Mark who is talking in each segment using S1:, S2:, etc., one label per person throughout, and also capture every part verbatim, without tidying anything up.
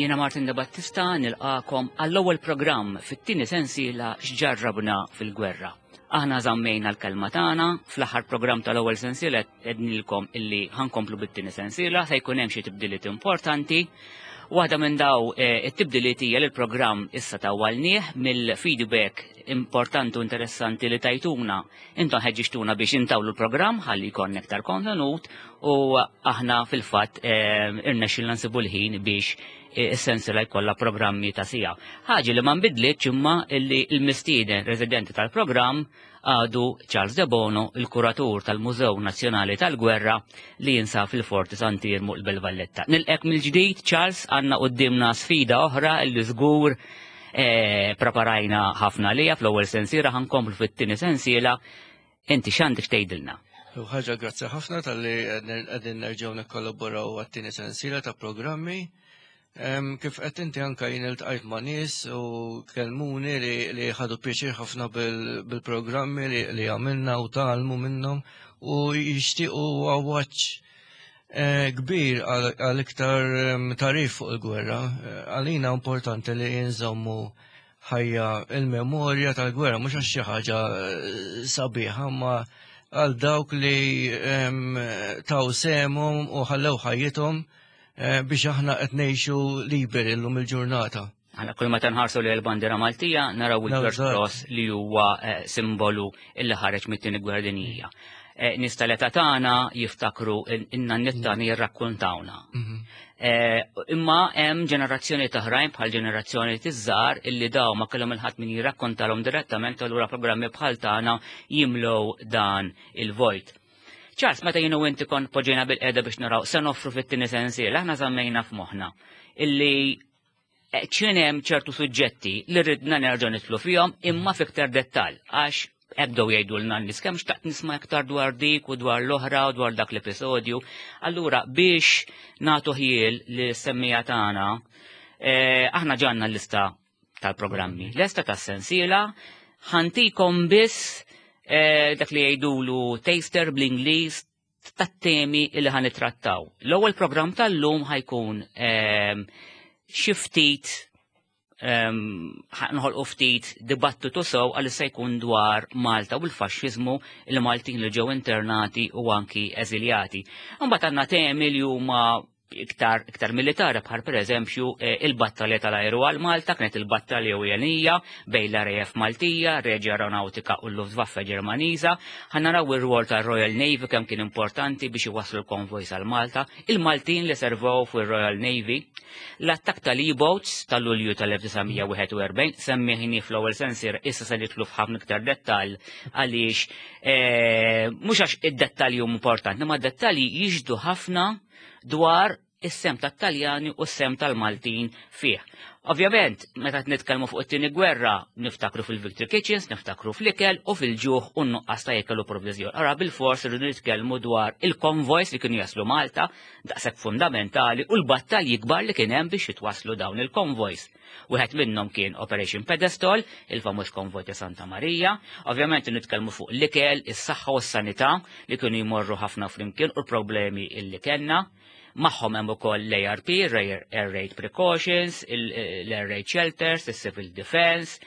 S1: Jiena Martin De Battista nilqakom għall-ewwel programm fit-tieni sensiela X'Ġarrabna fil-Gwerra. Aħna żammejna l-kelma tagħna fl-aħħar programm tal-ewwel sensiela, għednilkom illi ħa nkomplu bit-tieni sensiela, se jkun hemm xi tibdiliet importanti. Waħda minn daw eh, it-tibdiliet hija li l-programm issa tawwalnieh mill-feedback importanti u interessanti li tajtuna. Intom ħeġġixtuna biex intawlu l-programm ħalli jkun iktar kontenut u aħna fil-fatt eh, irnexxilna nsibu l-ħin biex eh, is-sensiela jkollha programmi ta' siegħa. Ħaġa li ma nbidlitx imma illi l-mistieden residenti tal-programm għadu Charles De Bono, il-kuratur tal-Mużew Nazzjonali tal-Gwerra li jinsab fil-Forti Sant'Iermu, il-Belt Valletta. Nilqgħek mill-ġdid, Charles. Għandna quddiemna sfida oħra illi żgur eh, preparajna ħafna lija fl-ewwel sensiela, ħa nkomplu fit-tieni sensiela. Inti x'għandek tgħidilna?
S2: U ħaġa, grazzi ħafna talli qegħdin nerġgħu nikkollaboraw għat-tieni sensiela ta' programmi. Em, Kif qed inti, anka jien iltqajt ma' nies u kelmuni li, li ħadu pjaċir ħafna bil- bil-programmi li, li għamilna u tgħallmu minnhom u jixtiequ għawaċ eh, kbir għal għal iktar em, tagħrif fuq il-gwerra. Eh, Għalina importanti li jinżommu ħajja il-memorja tal-gwerra, mhux għax xi ħaġa eh, sabiħa, ma għal dawk li em, taw sehemhom u ħallew ħajjithom eh, biex aħna qed ngħixu liberi llum il-ġurnata.
S1: Għana kull meta nħarsu li l-bandiera Maltija naraw il-First
S2: Eżatt.
S1: Cross li huwa eh, simbolu illi ħareġ mit-tieni gwerra dinjija. Eh, Nies tal-età tagħna jiftakru, in-nanniet tagħna jirrakkuntawna.
S2: Mhm.
S1: Eh, Imma hemm ġenerazzjoni oħrajn, bħal ġenerazzjoni tiż-żgħar, illi daw ma kellhom il-ħadd min jirrakkontalhom direttament, allura programmi bħal tagħna jimlow dan il-vojt. Charles, meta jien u inti kont poġġejna bilqiegħda biex naraw se noffru fit-tieni sensiela, aħna żammejna f'moħħna illi eh, kien hemm ċertu suġġetti li ridna nerġgħu nidħlu fihom imma fiktar dettall, għax ebdew jgħidulna n-nies kemm xtaqt nisma' iktar dwar dik u dwar l-oħra u dwar dak l-episodju. Allura biex nagħtu ħjiel li semmija tagħna, eh, aħna ġanna l-lista tal-programmi. Lesta tas-sensiela, ħa ntikom biss eh, dak li jgħidulu taster bl-Ingliż tat-temi li ħa nittrattaw. L-ewwel programm tal-lum ħa jkun ehm, xi ftit ehm, nħolqu ftit dibattitu sew, għal se jkun dwar Malta u l-faxxiżmu, il-Maltin li ġew internati u anki eżiljati. Mbagħad għandna temi li huma iktar, iktar militari, bħal per eżempju eh, il-battalja tal-ajru għal Malta, kienet il-battalja ewlenija bejn l-R A F Maltija, Regia Aeronautica u l-Luftwaffe Ġermaniża. Ħa naraw ir-rwol tal-Royal Navy, kemm kien importanti biex iwasslu l-konvojs għal Malta, il-Maltin li servow fuq il-Royal Navy, l-attak tal-E-boats tal-Lulju tal-elf disa' mija wieħed u erbgħin, semmejnieh fl-ewwel sensiela, issa se nidħlu f'ħafna iktar dettall għaliex eh, mhux għax id-dettalji huma importanti, ma dettalji jixhdu ħafna dwar is-sehem tat-Taljani u s-sehem tal-Maltin fih. Ovvjament, meta nitkellmu fuq it-tieni gwerra, niftakru fil-Victory Kitchens, niftakru fl-ikel u fil-ġuħ u n-nuqqas ta' ikel u provviżjon. Ara bil-fors irridu nitkellmu dwar il-konvojs li kienu jaslu Malta, daqshekk fundamentali, u l-battalji kbar li kien hemm biex jitwaslu dawn il-konvojs. Wieħed minnhom kien Operation Pedestal, il-famuż konvoj ta' Santa Maria. Ovvjament nitkellmu fuq l-ikel, is-saħħa u s-sanità li kienu jmorru ħafna flimkien u l-problemi illi kellna. Magħhom hemm ukoll l-A R P, Air Raid Precautions, l-Air Raid Shelters, il-Civil Defense.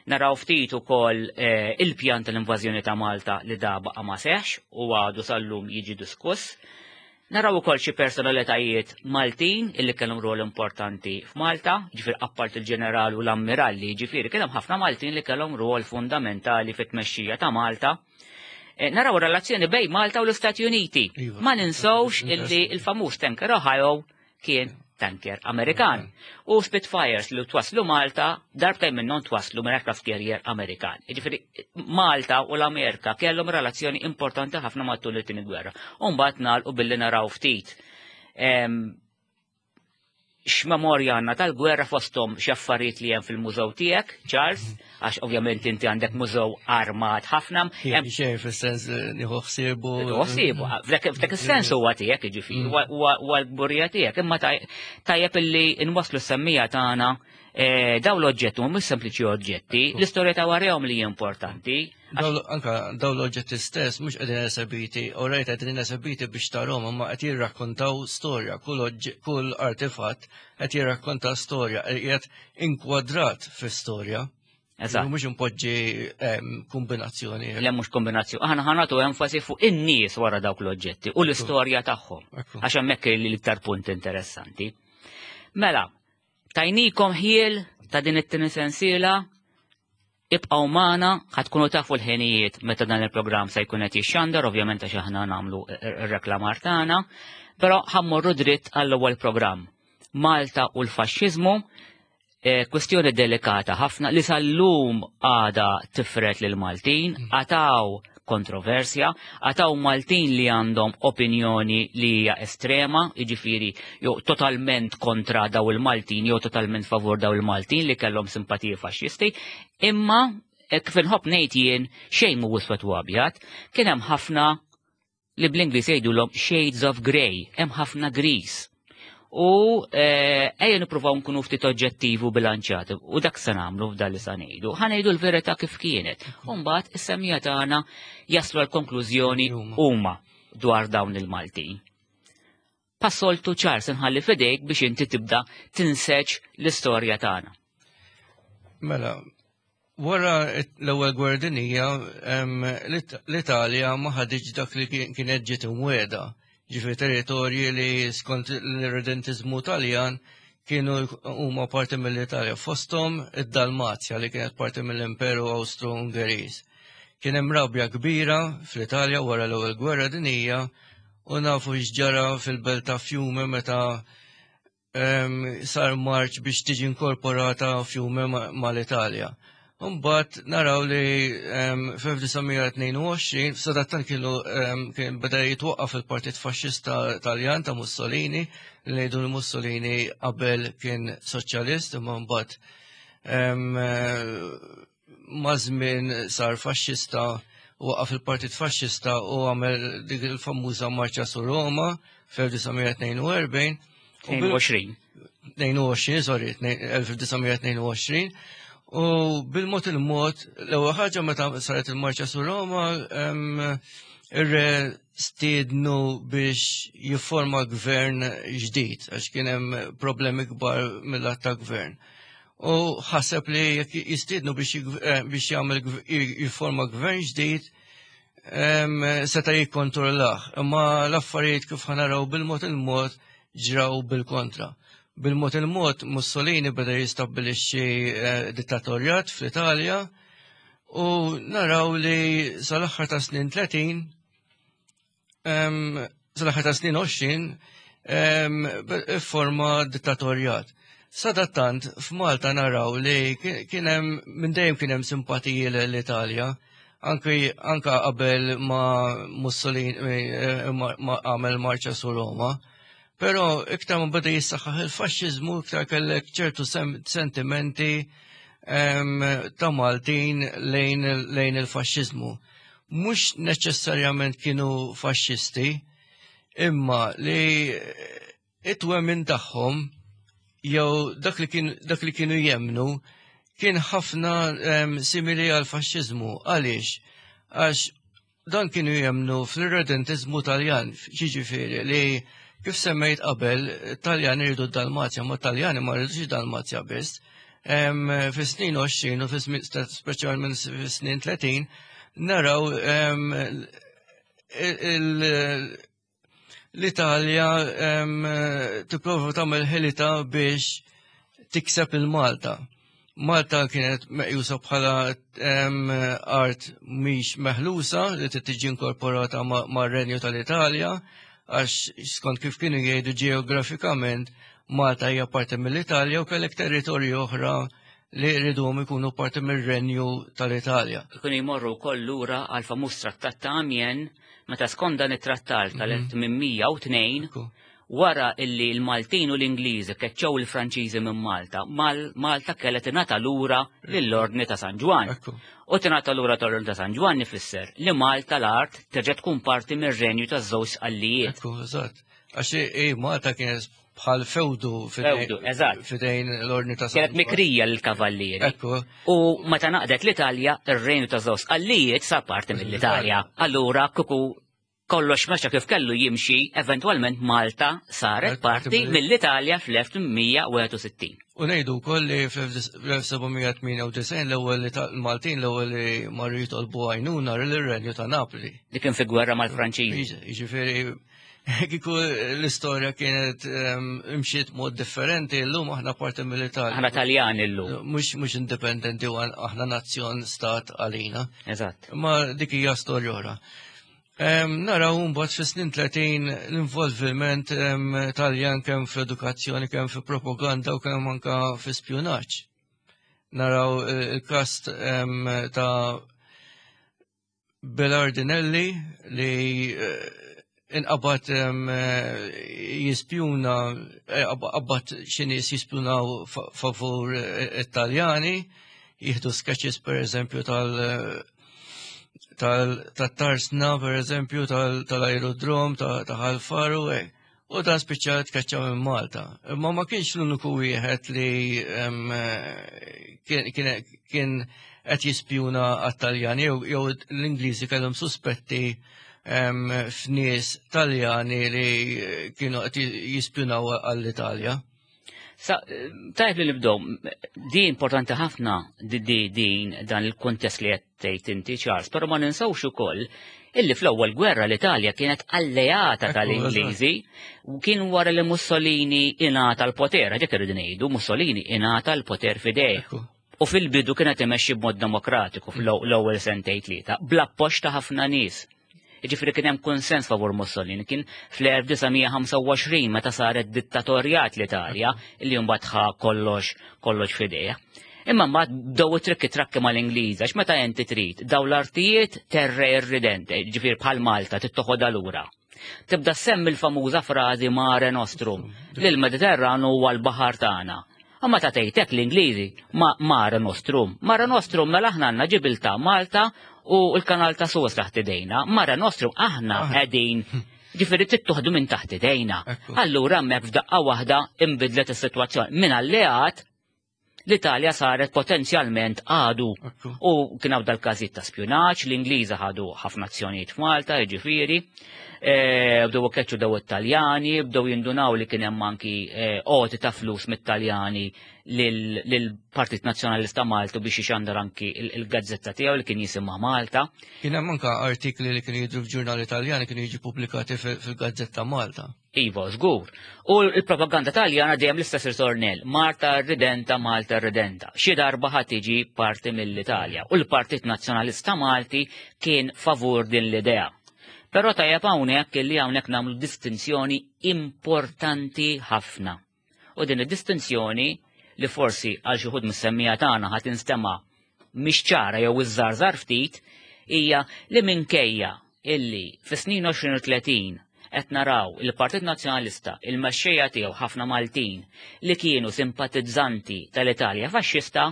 S1: Naraw ftit ukoll eh, il-pjan tal-invażjoni ta' Malta li da baqa' ma seħx u għadu sal-lum jiġi diskuss. Naraw ukoll xi personalitajiet Maltin illi kellhom rol importanti f'Malta, ġifier appart il-ġeneral u l-ammiralli, ġifieri kellhom ħafna Maltin li kellhom rol fundamentali fit-tmexxija ta' Malta. Eh, Naraw relazzjoni bejn Malta u l-Istati Uniti.
S2: Iva.
S1: Ma ninsawx illi il-famuż tanker Ohio kien tanker Amerikan. U Spitfires li twaslu Malta, darbtejn minnhom twaslu minn aircraft carrier Amerikan. Ġifieri Malta u l-Amerika kellhom relazzjoni importanti ħafna matul it-tieni gwerra. U mbagħad nagħlqu billi naraw ftit em, x'memorja għandna tal-gwerra, fosthom x'affarijiet li hemm fil-mużew tiegħek, Charles, għax ovvjament inti għandek mużew armat ħafna. Hemm
S2: Xejn, fis-sens li nieħu ħsiebu.
S1: Ħsibu, f'dak is-sens huwa tiegħek, jiġifieri, huwa l-kburija tiegħek, imma taj- tajjeb illi nwasslu s-semmiegħa tagħna Eh, daw l-oġġetti mhumiex sempliċi oġġetti, l-istorja ta' warahom li hija importanti.
S2: Anka daw l-oġġetti stess mhux qegħdin esebiti, u rajt qegħdin esebiti biex tarhom, imma qed jirrakkontaw storja, kull artefatt qed jirrakkonta storja, qiegħed inkwadrat fi storja.
S1: Eżatt.
S2: Mhux impoġġi kombinazzjoni.
S1: Le, mhux kombinazzjoni. Aħna ħa nagħtu enfasi fuq in-nies wara dawk l-oġġetti u l-istorja tagħhom. Għax hemmhekk l-iktar punt interessanti. Mela, tajnikom ħjiel ta' din it-tieni sensiela, ibqgħu magħna, ħa tkunu tafu l-ħinijiet meta dan il-programm se jkun qed jixxandar, ovvjament għax aħna nagħmlu ir-reklamar tagħna, però ħa mmorru dritt għall-ewwel programm. Malta u l-faxxiżmu, eh, kwestjoni delikata ħafna li sal-lum għada tifret lil Maltin, għataw kontroversja, għataw Maltin li għandhom opinjoni li hija estrema, jiġifieri jew totalment kontra daw il-Maltin, jew totalment favur daw il-Maltin li kellhom simpatiji faxxisti, imma eh, kif inħobb ngħid jien, xejn mhu iswed u abjad, kien hemm ħafna li bl-Ingliż jgħidulhom shades of grey, hemm ħafna gris. U eh, ejja nippruvaw nkunu ftit oġġettivi u bilanċjati u dak se nagħmlu f'dan li sa ngħidu. Ħa ngħidu l-verità kif kienet. U mbagħad is-semmiegħa tagħna jaslu għal konklużjoni huma dwar dawn il-Maltin. Bħas-soltu, ċar, se nħalli f'idejk biex inti tibda tinseġ l-istorja tagħna.
S2: Mela, wara l-ewwel gwerra dinjija, l-Italja ma ħaditx dak li kienet ġiet imwiegħda. Ġifieri territorji li skont l-irredentizmu Taljan kienu huma parti mill-Italja, fosthom id-Dalmazja li kienet parti mill-Imperu Austro-Ungeriż. Kien hemm rabja kbira fl-Italja wara l-ewwel gwerra dinjija u nafu x'ġara fil-belt ta' Fiume meta sar marċ biex tiġi inkorporata Fiume mal-Italja. Mbagħad naraw li fl-elf disa' mija tnejn u għoxrin sadattan kienu kien beda jitwaqqaf il-Partit Faxxista Taljan ta' Mussolini, li ngħidu li Mussolini qabel kien soċjalist, imma mbagħad maż-żmien sar faxxista, waqqaf il-Partit Faxxista u għamel dik il-famuża marċa su Roma fl-elf disa' mija tnejn u erbgħin.
S1: tnejn u għoxrin.
S2: tnejn u għoxrin, sorry, elf disa' mija tnejn u għoxrin. U bil-mod il-mod, l-ewwel ħaġa meta saret il-marċa su Roma, ir-re stiednu biex jifforma gvern ġdid, għax kien hemm problemi kbar mill-att ta' gvern. U ħaseb li jekk jistiednu biex eh, biex jagħmel jifforma gvern ġdid, seta' jikkontrollah. Imma l-affarijiet, kif ħa naraw bil-mod il-mod, ġraw bil-kontra. Bil-mod il-mod Mussolini beda jistabbilixxi eh, dittatorjat fl-Italja u naraw li sal-aħħar ta' snin tletin, sal-aħħar ta' snin għoxrin, forma dittatorjat. Sadattant f'Malta naraw li kien hemm minn dejjem kien hemm simpatiji l-Italja, anki anka qabel ma Mussolini eh, ma għamel marċa su Roma. Però iktar ma beda jissaħħaħ il-faxxiżmu, iktar kellek ċertu sentimenti ta' Maltin lejn, lejn il-faxxiżmu. Mhux neċessarjament kienu faxxisti, imma li it-twemmin tagħhom jew dak li, kien, dak li kienu jemnu kien ħafna simili għal faxxiżmu. Għaliex? Għax dan kienu jemnu fl-irredentizmu Taljan, ġifieri li kif semmejt qabel, Taljan iridu Dalmazja, ma Taljani ma rridux Dalmazja biss. Fis-snin għoxrin u speċjalment fis-snin tletin naraw l-Italja tipprova tagħmel ħilita biex tikseb il-Malta. Malta kienet meqjusa bħala art mhix meħlusa li tiġi inkorporata mar-Renju tal-Italja, għax skont kif kienu jgħidu ġeografikament Malta hija parti mill-Italja u kellek territorju oħra li rriduhom ikunu parti mir-Renju tal-Italja.
S1: Ikunu jmorru wkoll lura għal famuż trattat ta' Amiens, meta skont dan it-trattat tal-elf tmien mija u tnejn, wara illi l-Maltin u l-Ingliżi keċċew il-Franċiżi minn Malta, Malta kellha tingħata lura lill-Ordni ta' San Ġwann. U tingħata lura tal-Ordni ta' San Ġwann ifisser li Malta l-art terġa' tkun parti mir-renju taż-żewġ Sqallijiet.
S2: Ekku, eżatt. Għax Malta kienet bħal fewdu
S1: Fewdu, eżatt.
S2: fidejn l-ordni ta'
S1: Kienet mikrija l-kavallieri.
S2: Ekku,
S1: U meta naqdet l-Italja, ir-Renju ta' Żewġ Sqallijiet sar parti mill-Italja. Allura kuku kollox mexa kif kellu jimxi, eventwalment Malta saret parti mill-Italja fl-elf tmien mija u wieħed u sittin.
S2: U ngħidu wkoll li fl-elf seba' mija tmienja u disgħin l-ewwel li ta- Maltin l-ewwel li marru jitolbu għajnuna lir-Renju ta' Napli.
S1: Dik kien fi gwerra mal-Franċiżi.
S2: Jiġifieri kieku l-istorja kienet em, imxiet mod differenti, llum aħna parti mill-Italja.
S1: Aħna Taljan illum.
S2: Mhux mhux indipendenti u aħna nazzjon stat għalina.
S1: Eżatt.
S2: Ma dik hija storja oħra. Em, naraw mbagħad fis-snin tletin l-involviment em, Taljan kemm fl-edukazzjoni, kemm fi propaganda u kemm anka fi spjunaġġ. Naraw eh, il-każ em, ta' Belardinelli li eh, inqabad em, eh, jispjuna, eh, qabad xi nies jispjunaw fa- favur eh, Italjani, jieħdu sketches, per eżempju, tal- tal-tarsna, per eżempju, tal-aerodrom, ta' Ħal Far u. U dan spiċċa tkeċċa minn Malta. Imma ma kienx l-uniku wieħed li em, eh, kien kien- kien qed jispjuna għat-Taljani jew jew l-Ingliżi kellhom suspetti em, f'nies Taljani li kienu qed jispjunaw għall-Italja.
S1: Sa, tajb li nibdew, di importanti ħafna di di din dan il-kontest li qed tgħid inti, Charles, però ma ninsawx ukoll illi fl-ewwel gwerra l-Italja kienet alleata
S2: Ekku,
S1: tal-Ingliżi u kien wara li Mussolini ingħata l-poter, dik irridu ngħidu, Mussolini ingħata l-poter f'idejh.
S2: Ekku.
S1: U fil-bidu kienet imexxi b'mod demokratiku fl-ewwel sentejn tlieta, bl-appoġġ ta' ħafna nies. Jiġifieri kien hemm konsens favur Mussolini, kien fl-elf disa' mija ħamsa u għoxrin meta saret dittatorjat l-Italja illi mbagħad ħa kollox kollox f'idejh. Imma mbagħad bdew it-trikki trakki mal-Ingliż, għax meta inti trid daw l-artijiet terre irridente, ġifieri bħal Malta tittoħodha lura. Tibda semmi l-famuża frażi "Mare Nostrum", li l-Mediterranu huwa l-baħar tagħna. Imma ta' tgħidlek l-Ingliżi ma Mare Nostrum. Mare Nostrum, mela aħna għandna Ġibiltà, Malta u l-kanal ta' Suez taħt idejna. Mare Nostrum, aħna qegħdin, ġifieri tittuħdu minn taħt idejna.
S2: Ekku.
S1: Allura hemmhekk f'daqqa waħda imbidlet is-sitwazzjoni. Minn alleat l-Italja saret potenzjalment għadu.
S2: Ekku.
S1: U kien hawn dal-każijiet ta' spjunaġġ, l-Ingliża ħadu ħafna azzjonijiet f'Malta, jiġifieri, eh, bdew keċċu daw it-Taljani, bdew jindunaw li kien hemm anki eh, għoti ta' flus mit-Taljani lill-Partit Nazzjonalista Maltu biex ixandar anki il- il-gazzetta tiegħu li kien jisimha Malta.
S2: Kien hemm anka artikli li kienu jidru f'ġurnali Italjani kienu jiġu pubblikati fil- fil-Gazzetta Malta.
S1: Iva, żgur. U l-propaganda taljana dejjem l-istess ritornell: "Malta Redenta, Malta Redenta. Xi darba ħa tiġi parti mill-Italja." U l-Partit Nazzjonalista Malti kien favur din l-idea. Però tajjeb hawnhekk li hawnhekk nagħmlu distinzjoni importanti ħafna. U din id-distinzjoni, li forsi għal xi wħud mis-semmija tagħna ħa tinstema' mhix ċara jew iżżarżar ftit, hija li minkejja illi fis-snin għoxrin u tletin qed naraw il-Partit Nazzjonalista, il-mexxejja tiegħu, ħafna Maltin li kienu simpatizzanti tal-Italja faxxista,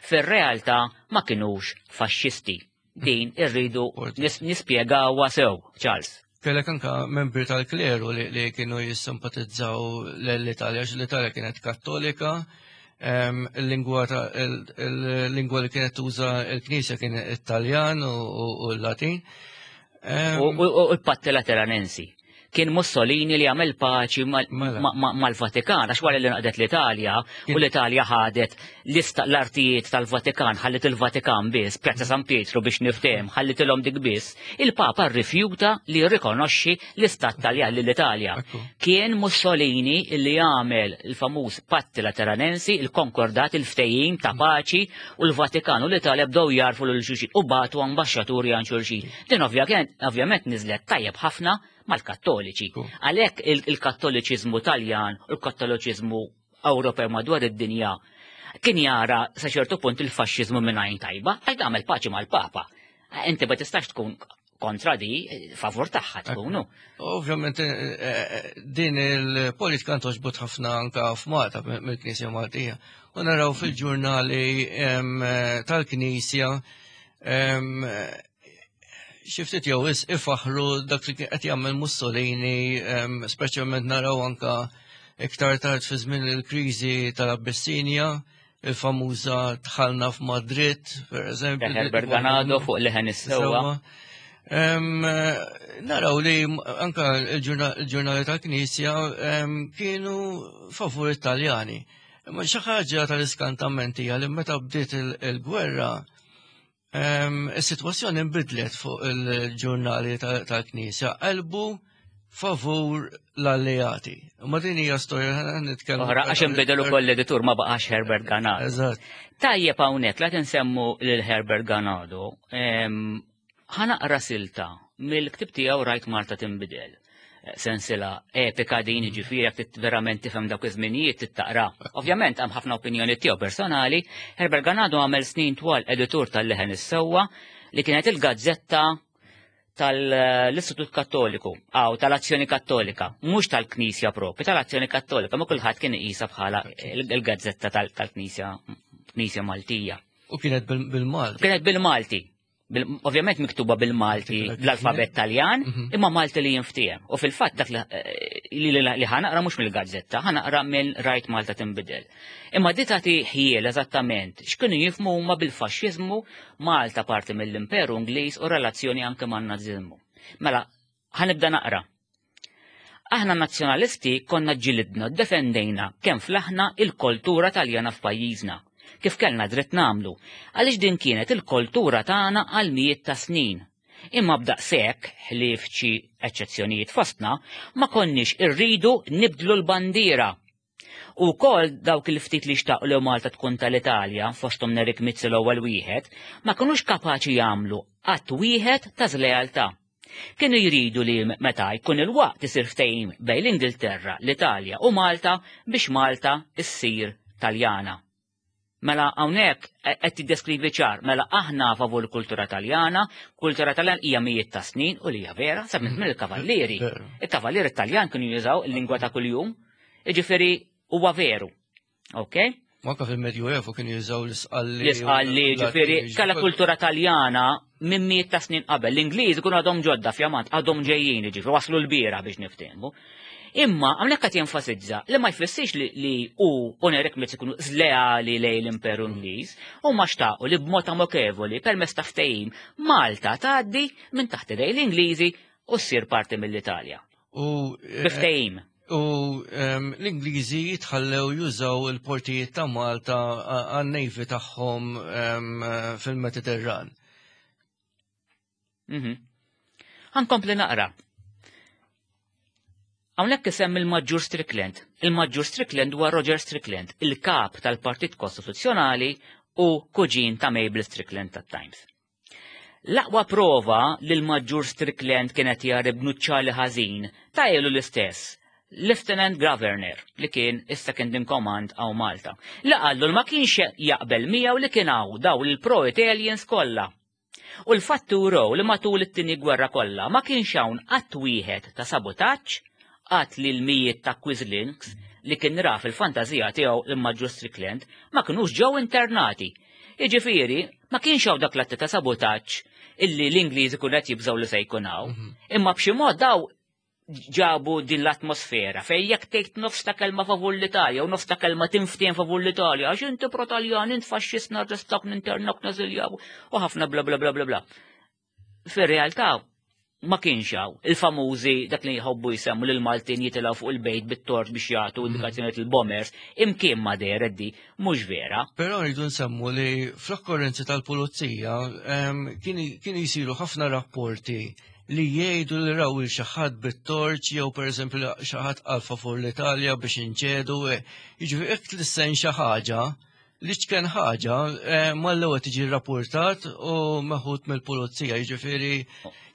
S1: fir-realtà ma kinux faxxisti. Din irridu nis nispjegawha sew, Charles.
S2: Kellek anka membri tal-kleru li, li kienu jissimpatizzaw l-Italja, għax l-Italja kienet kattolika, em, il-lingwa ta' il- il-lingwa li kienet tuża il-Knisja kien Italjan u, u, u l-Latin. Em,
S1: U u- u l-Patti Lateranensi. Kien Mussolini li għamel paċi mal-
S2: Mela.
S1: ma- ma- mal-Vatikan, għax wara li naqdet l-Italja, u
S2: Kien-
S1: l-Italja ħadet lista l-artijiet tal-Vatikan, ħallit il-Vatikan biss, Pjazza San Pietro biex niftem, ħallitilhom dik biss, il-Papa rrifjuta li jirrikonoxxi l-Istat Taljan lill-Italja.
S2: Ekku.
S1: Kien Mussolini li għamel il-famuż Patti Lateranensi, il-konkordat, il-ftehim ta' paċi, u l-Vatikan u l-Italja bdew jarfu lil xulxin u bagħtu ambaxxaturi għand xulxin. Din ovvja- ovvjament niżlet tajjeb ħafna mal-Kattoliċi.
S2: Ekku.
S1: Għalhekk il- il-Kattoliċiżmu Taljan u l-Kattoliċiżmu Ewropew madwar id-dinja kien jara sa ċertu punt il-faxxiżmu minn għajn tajba, għal tagħmel paċi mal-Papa. Inti ma tistax tkun kontra di, favur tagħha tkunu.
S2: Ovvjament eh, eh, din il-politika ntogħġbot ħafna anka f'Malta mill-Knisja Maltija. U naraw fil-ġurnali em, eh, tal-Knisja em, xi ftit jew wisq ifaħru dak li kien qed jagħmel Mussolini, em, speċjalment naraw anka Iktar tard fi żmien il-kriżi tal-Abbissinja, il-famuża dħalna f'Madrid, per eżempju.
S1: Herbert Ganado fuq Leħen is-Sewwa.
S2: Naraw li anka il-ġurnali tal-Knisja kienu favur Italjani. Imma xi ħaġa tal-iskantament hija li meta bdiet il-gwerra, is-sitwazzjoni nbidlet fuq il-ġurnali tal-Knisja, qalbu favur l-alleati. Ma din hija storja nitkellmu.
S1: Oħra, għax inbidel ukoll l-editur, ma baqax Herbert Ganado.
S2: Eżatt.
S1: Tajjeb hawnhekk la tinsemmu lil Herbert Ganado, ħa naqra silta mill-ktib tiegħu Rajt Malta Tinbidel. Sensila epika din, ġifieri jekk verament tifhem dawk iż-żminijiet tittaqra. Ovvjament hemm ħafna opinjoni tiegħu personali. Herbert Ganado għamel snin twal editur tal-Leħen is-Sewwa, li kienet il-gazzetta tal-Istitut Kattoliku, għaw tal-Azzjoni Kattolika, mhux tal-Knisja propri, tal-Azzjoni Kattolika, ma kulħadd kien iqisha bħala il-gazzetta tal-Knisja Knisja Maltija.
S2: U kienet bil-Malti.
S1: Kienet bil-Malti. Ovvjament miktuba bil-Malti, l-alfabet Taljan, imma Malti li jinftiehem. U fil-fatt dak li ħa naqra mhux mill-gazzetta, ħa naqra minn Rajt Malta Tinbidel. Imma di tagħti ħjiel eżattament x'kienu jifhmu huma bil-faxxiżmu, Malta parti mill-Imperu Ingliż u relazzjoni anke man-Naziżmu. Mela, ħa nibda naqra. Aħna nazzjonalisti konna ġilidna, defendejna kemm flaħna il-kultura Taljana f'pajjiżna, kif kellna dritt nagħmlu, għaliex din kienet il-kultura tagħna għal mijiet ta' snin. Imma b'daqshekk, ħlief xi eċċezzjonijiet fostna, ma konniex irridu nibdlu l-bandiera. U kol dawk il-ftit li xtaqu li Malta tkun tal-Italja, fosthom Nerik Mizzi l-ewwel wieħed, ma kinux kapaċi jagħmlu att wieħed ta' żlealtà. Kienu jridu li meta jkun il-waqt isir ftehim bejn l-Ingilterra, l-Italja u Malta biex Malta issir Taljana. Mela hawnhekk qed tiddeskrivi ċar, mela aħna favur kultura Taljana, kultura Taljana hija mijiet ta' snin u li hija vera, sa minn il-kavallieri. Il-kavallieri Taljan kienu jużaw il-lingwa ta' kuljum, jiġifieri huwa veru. Ok?
S2: Manka fil-Medjuevu kienu jużaw l-isqalli.
S1: L-isqalli, ġifieri, kalla kultura Taljana minn mijiet ta' snin qabel. L-Ingliż ikunu għadhom ġodda fjamant, għadhom ġejjin, ġifieri, waslu l-bira biex niftehmu. Imma hawnhekk qed jenfasizza li ma jfissirx li, li u u Nerik Mizzi ikunu żleali lejn l-Imperu Ingliż, u ma xtaqu li b'mod amikevoli permezz ta' ftehim Malta tgħaddi minn taħt idej l-Ingliżi u ssir parti mill-Italja.
S2: U, eh,
S1: Biftehim.
S2: U, ehm, l-Ingliżi jitħallew jużaw il-portijiet ta' Malta għan-navy tagħhom, ehm, fil-Mediterran.
S1: Mhm. Ħa nkompli naqra. Hawnhekk isem il-Maġġur Strickland. Il-Maġġur Strickland huwa Roger Strickland, il-kap tal-Partit Kostituzzjonali u kuġin ta' Mabel Strickland tat-Times. L-aqwa prova li l-Maġġur Strickland kienet jarib nuċċali ħażin ta' ilu l-istess, Lieutenant Governor, li kien is-second in command għaw Malta. Li qallu ma kienx jaqbel miegħu li kien hawn daw il-pro-Italians kollha. U l-fattu raw li matul it-tieni gwerra kollha ma kienx hawn qatt wieħed ta' sabotaġġ, qatt li l-mijiet ta' Quislings li kien ra fil-fantażija tiegħu il-Maġġur Strickland ma kinux ġew internati. Jiġifieri, ma kienx hawn dak l-atti ta' sabotaġġ illi l-Ingliżi kun qed jibżgħu li se jkun hawn.
S2: Mhm.
S1: Imma b'xi mod daw ġabu din l-atmosfera fej jekk tgħid nofs ta' kelma favur l-Italja u nofs ta' kelma tinftien favur l-Italja, għax inti pro-Taljan, int faxxist, narrestak, ninternak, nażiljaw u ħafna bla bla bla bla bla. Fir-realtà ma kienx hawn il-famużi dak li jħobbu jsemmu lil Maltin jitilgħu fuq il-bejt bit-tort biex jagħtu
S2: Mhm.
S1: indikazzjonijiet il-bombers, imkien ma dehret di, mhux vera.
S2: Però rridu nsemmu li fl-okkorrenzi tal-pulizija, ehm, kienu kienu jsiru ħafna rapporti li jgħidu li raw il xi ħadd bit-torċ jew pereżempju li xi ħadd qal favur l-Italja biex inċedu. eh, Jiġifieri jekk tlissen xi ħaġa, li ċken ħaġa, eh, mal-ewwel tiġi rrapportat u meħud mill-pulizija, jiġifieri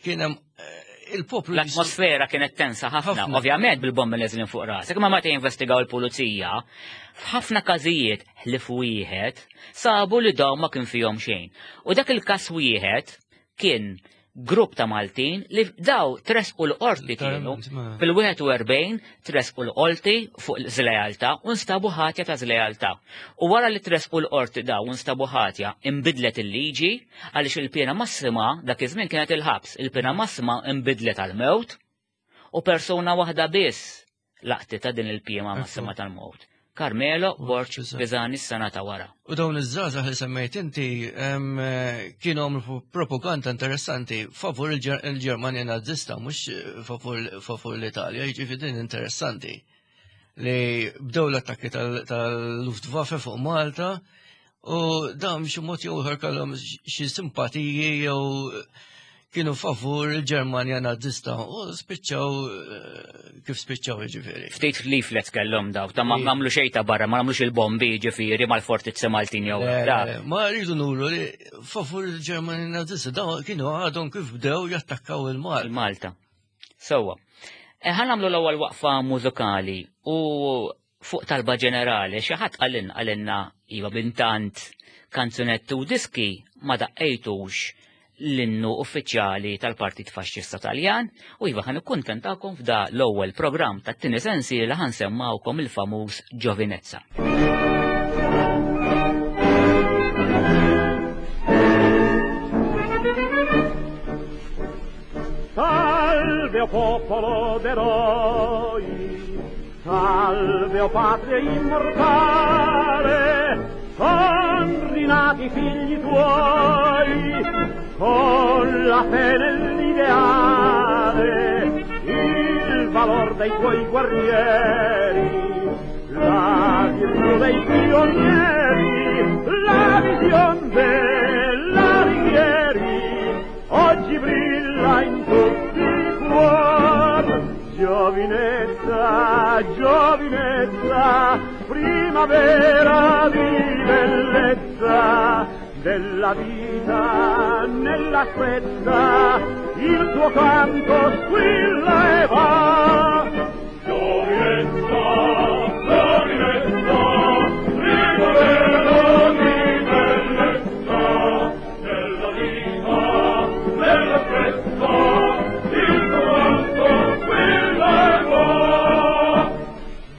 S2: kien hemm, eh, il-poplu li
S1: L-atmosfera kienet tensa ħafna,
S2: Ħafna.
S1: ovvjament bil-bombi neżlin fuq rasek, imma meta jinvestigaw il-pulizija, f'ħafna każijiet ħlief wieħed sabu li dawn ma kien fihom xejn. U dak il-każ wieħed kien grupp ta' Maltin li daw tresqu l-qorti kienu.
S2: Literalment, ma-
S1: Fil-wieħed u erbgħin tresqu l-qorti fuq żlealtà u nstabu ħatja ta' żlealtà. U wara li tresqu l-qorti daw u nstabu ħatja, imbidlet il-liġi għaliex il-pena massima dak iż-żmien kienet il-ħabs. Il-pena massima imbidlet għal-mewt u persuna waħda biss Laqtita din il-piema mas-sema tal-mowt. Carmelo Borg Pisani s-sena ta' wara.
S2: U dawn iż-żgħażagħ li semmejt inti kienu għamlu propaganda interessanti favur il-Ġermanja Nazista, mhux favur l-Italja, jiġifieri din interessanti. Li bdew l-attakki tal-Luftwaffe fuq Malta u dawn xi mod jew ieħor kellhom xi simpatiji jew kienu favur il-Ġermanja Nazista u spiċċaw kif spiċċaw, jiġifieri.
S1: Ftit leaflets kellhom daw, ta' ma għamlu xejn ta' barra, ma għamlux il-bombi, jiġifieri, mal-fortizzi Maltin jew.
S2: Ma rridu nuru li favur il-Ġermanja Nazista daw kienu għadhom kif bdew jattakkaw il-Malta.
S1: Il-Malta. Sewwa. Ħa nagħmlu l-ewwel waqfa mużikali u fuq talba ġenerali xi ħadd qalilna qalilna iva bintant kanzunetti u diski ma daqqejtux l-innu uffiċjali tal-Partit Faxxista Taljan u iva ħa nikkuntentakom f'da l-ewwel programm tat-tieni sensiela ħa nsemmawkom il-famuż Giovinezza.
S3: Salve o popolo d'eroi, salve o patria immortale, son rinati figli tuoi, con la fe nell'ideale, il valor dei tuoi guerrieri, la virtù dei pionieri, la vision della Righieri, oggi brilla in tutti i cuor. Giovinezza, giovinezza, primavera di bellezza, della vita nella sprezza, il tuo canto squilla e va. Giovinezza, giovinezza, primavera di bellezza, della vita nella sprezza, il tuo canto squilla e va.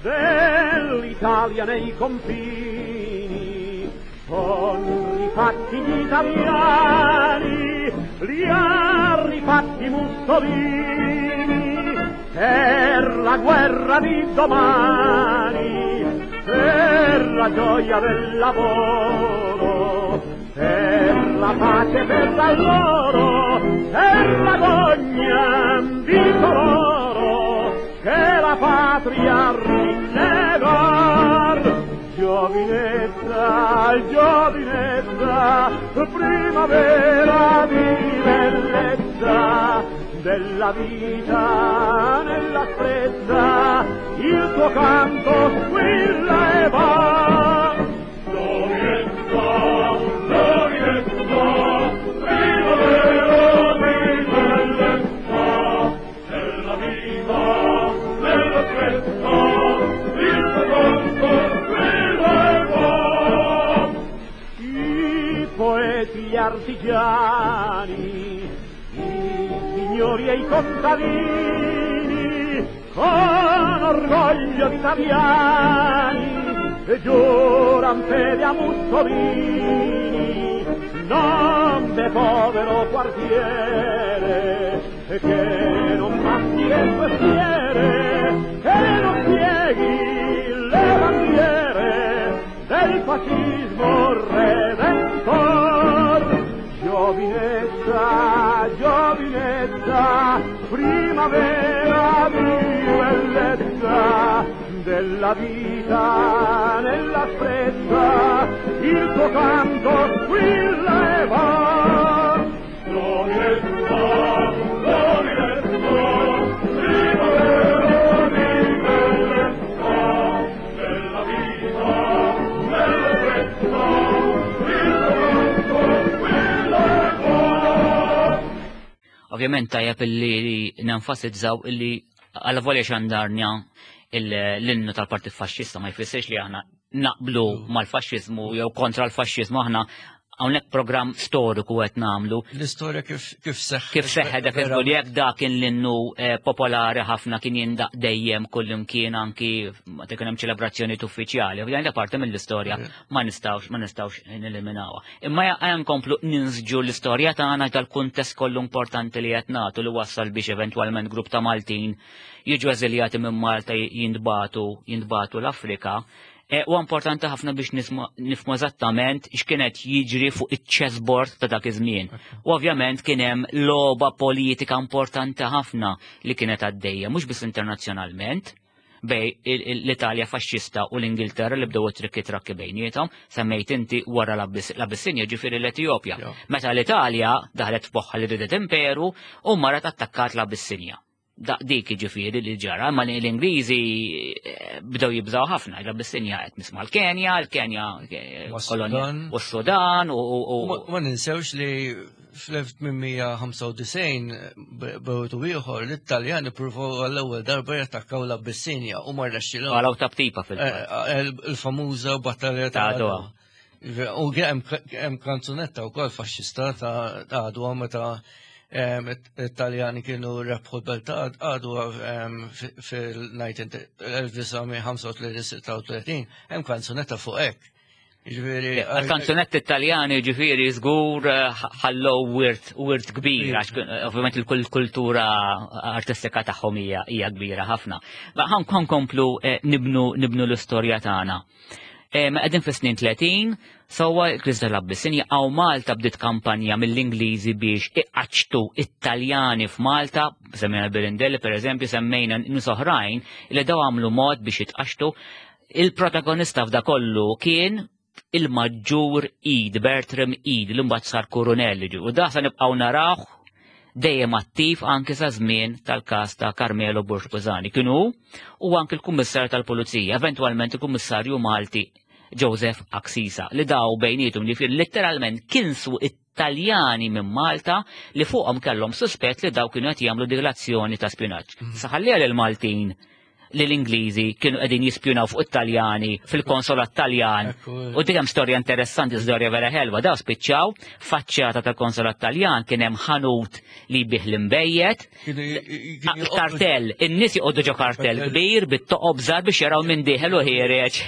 S3: Dell'Italia nei confini son rifatti gli italiani, li ha rifatti Mussolini, per la guerra di domani, per la gioia del lavoro, per la pace per l'alloro, per l'agonia di coloro che la patria rinnegar. Giovinezza, giovinezza, primavera di bellezza, della vita nella sprezza, il tuo canto squilla e va. Giovinezza, giovinezza, primavera di bellezza, della vita nella sprezza, il tuo canto squilla e va. I poeti, gli artigiani, i signori e i contadini, con orgoglio d'italiani, giuran fede a Mussolini, non de povero quartiere, che non passi le sue schiere, che non pieghi le bandiere del fascismo redentor. Giovinezza, giovinezza, primavera di bellezza, della vita nella sprezza, il tuo canto squilla e va. Giovinezza, giovinezza, primavera di bellezza, della vita nella sprezza, il tuo canto squilla e va.
S1: Ovvjament tajjeb illi nenfasizzaw illi għal volja xandarnja l-innu tal-Partit Faxxista ma jfissirx li aħna naqblu mal-faxxiżmu jew kontra l-faxxiżmu, aħna Hawnhekk programm storiku qed nagħmlu.
S2: L-istorja kif kif seħħ.
S1: Kif seħħ dak il jekk dak kien l-innu eh, popolari ħafna, kien jindaq dejjem kullimkien, anki meta kien hemm ċelebrazzjoni uffiċjali. Ovvjament da parti mill-istorja ma nistgħux ma nistgħux neliminawha. Imma ejja nkomplu ninsġu l-istorja tagħna tal-kuntest kollu importanti li qed nagħtu li wassal biex eventwalment grupp ta' Maltin jiġu eżiljati minn Malta, jintbagħtu jintbagħtu l-Afrika. E, U importanti ħafna biex nifhmu eżattament x'kienet jiġri fuq iċ-chessboard ta' dak iż-żmien. U ovvjament kien hemm logħba politika importanti ħafna li kienet għaddejja, mhux biss internazzjonalment, bejn l-Italja faxxista u l-Ingilterra li bdew trikki trakki bejniethom, semmejt inti wara l-Abissinja, ġifieri l-Etjopja. Meta l-Italja daħlet f'moħħha li ridet imperu u marret attakkat l-Abissinja. Dik ġifieri li ġara, ma l-Ingliżi eh, bdew jibżaw ħafna, l-Abissinja qed nisma' l-Kenja, l-Kenja eh, kolonja u s-Sudan u.
S2: Ma ninsewx li fl-elf tmien mija ħamsa u disgħin b'mod ieħor l-Italjani pruvaw għall-ewwel darba jattakkaw l-Abissinja u ma rnexxilhom.
S1: Għalaw tabtipa fil
S2: eh, Il-famuża battalja ta' Adwa. U hemm kanzunetta wkoll faxxista ta' Adwa, meta Italjani kienu rebħu l-belt ta' Adwa fil-elf disa' mija ħamsa u tletin, hemm kanzunetta fuq hekk.
S1: Il-kanzunetti Italjani ġifieri żgur eh, ħallow wirt wirt kbir, għax ovvjament il-kultura artistika tagħhom hija kbira ħafna. Ma ħa nkomplu eh, nibnu nibnu l-istorja tagħna. Qegħdin fis-snin tletin, sewwa, il-kriżi tal-Abbissinja, għaw Malta bdiet kampanja mill-Ingliżi biex iqaċtu Italjani f'Malta, semmejna Birindelli per eżempju, semmejna nies oħrajn li daw għamlu mod biex jitqaxtu. Il-protagonista f'da kollu kien il-maġġur Ede, Bertram Ede, li mbagħad sar kurunell, u da sa nibqgħu narawh dejjem attiv anke sa żmien tal-każ ta' Carmelo Borg Pisani. Kienu u anke l-Kummissarju tal-Pulizija, eventwalment il-Kummissarju Malti Joseph Axisa, li daw bejnietum li fil letteralment kinsu Italjani minn Malta li fuqhom kellhom suspett li daw kienu qed jagħmlu delazzjoni ta' spjunaġġ. Mhm. Saħalli l-Maltin li l-Ingliżi kienu qegħdin jispjunaw fuq Italjani fil-konsolat Taljan. U dik hemm storja interessanti, storja vera ħelwa. Daw spiċċaw faċċata tal-konsolat Taljan kien hemm ħanut li bih l-imbejjed. Kartell, in-nies joqogħdu ġo kartell kbir bit-toqob żgħar biex jaraw minn dieħel u ħiereġ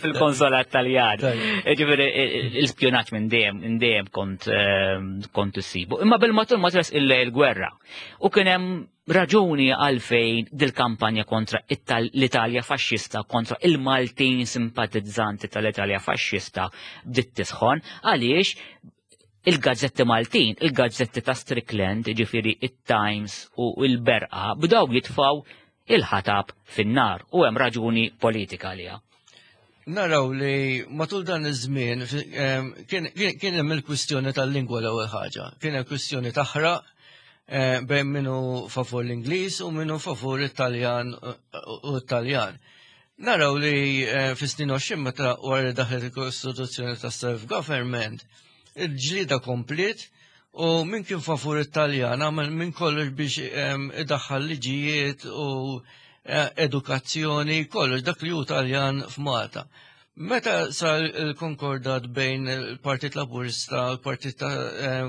S1: fil-konsolat Taljan. Ġifieri l-ispjunaġġ minn dejjem minn dejjem kont ehm, kont issibu. Imma bil-matul ma tres il-gwerra. U kien hemm raġuni għalfejn dil-kampanja kontra l-Italja faxxista, kontra il-Maltin simpatizzanti tal-Italja faxxista bdiet tisħon, għaliex il-gazzetti Maltin, il-gazzetti ta' Strickland, ġifieri il-Times u il-Berqa, bdew jitfaw il-ħatab fin-nar u hemm raġuni politika għaliha.
S2: Naraw li matul dan iż-żmien kien hemm il-kwistjoni tal-lingwa l-ewwel ħaġa. Kien hemm kwistjoni taħraq eh, bejn minnu favur l-Ingliż u minnu favur it-Taljan u Taljan. Naraw li eh, fis-snin għoxrin, meta wara daħlet il-Kostituzzjoni ta' self-government, il-ġlida komplet u min kien favur it-Taljan għamel minn kollox biex idaħħal liġijiet u eh, edukazzjoni, kollox dak li hu Taljan f'Malta. Meta sar il-konkordat bejn il-Partit Laburista u l-Partit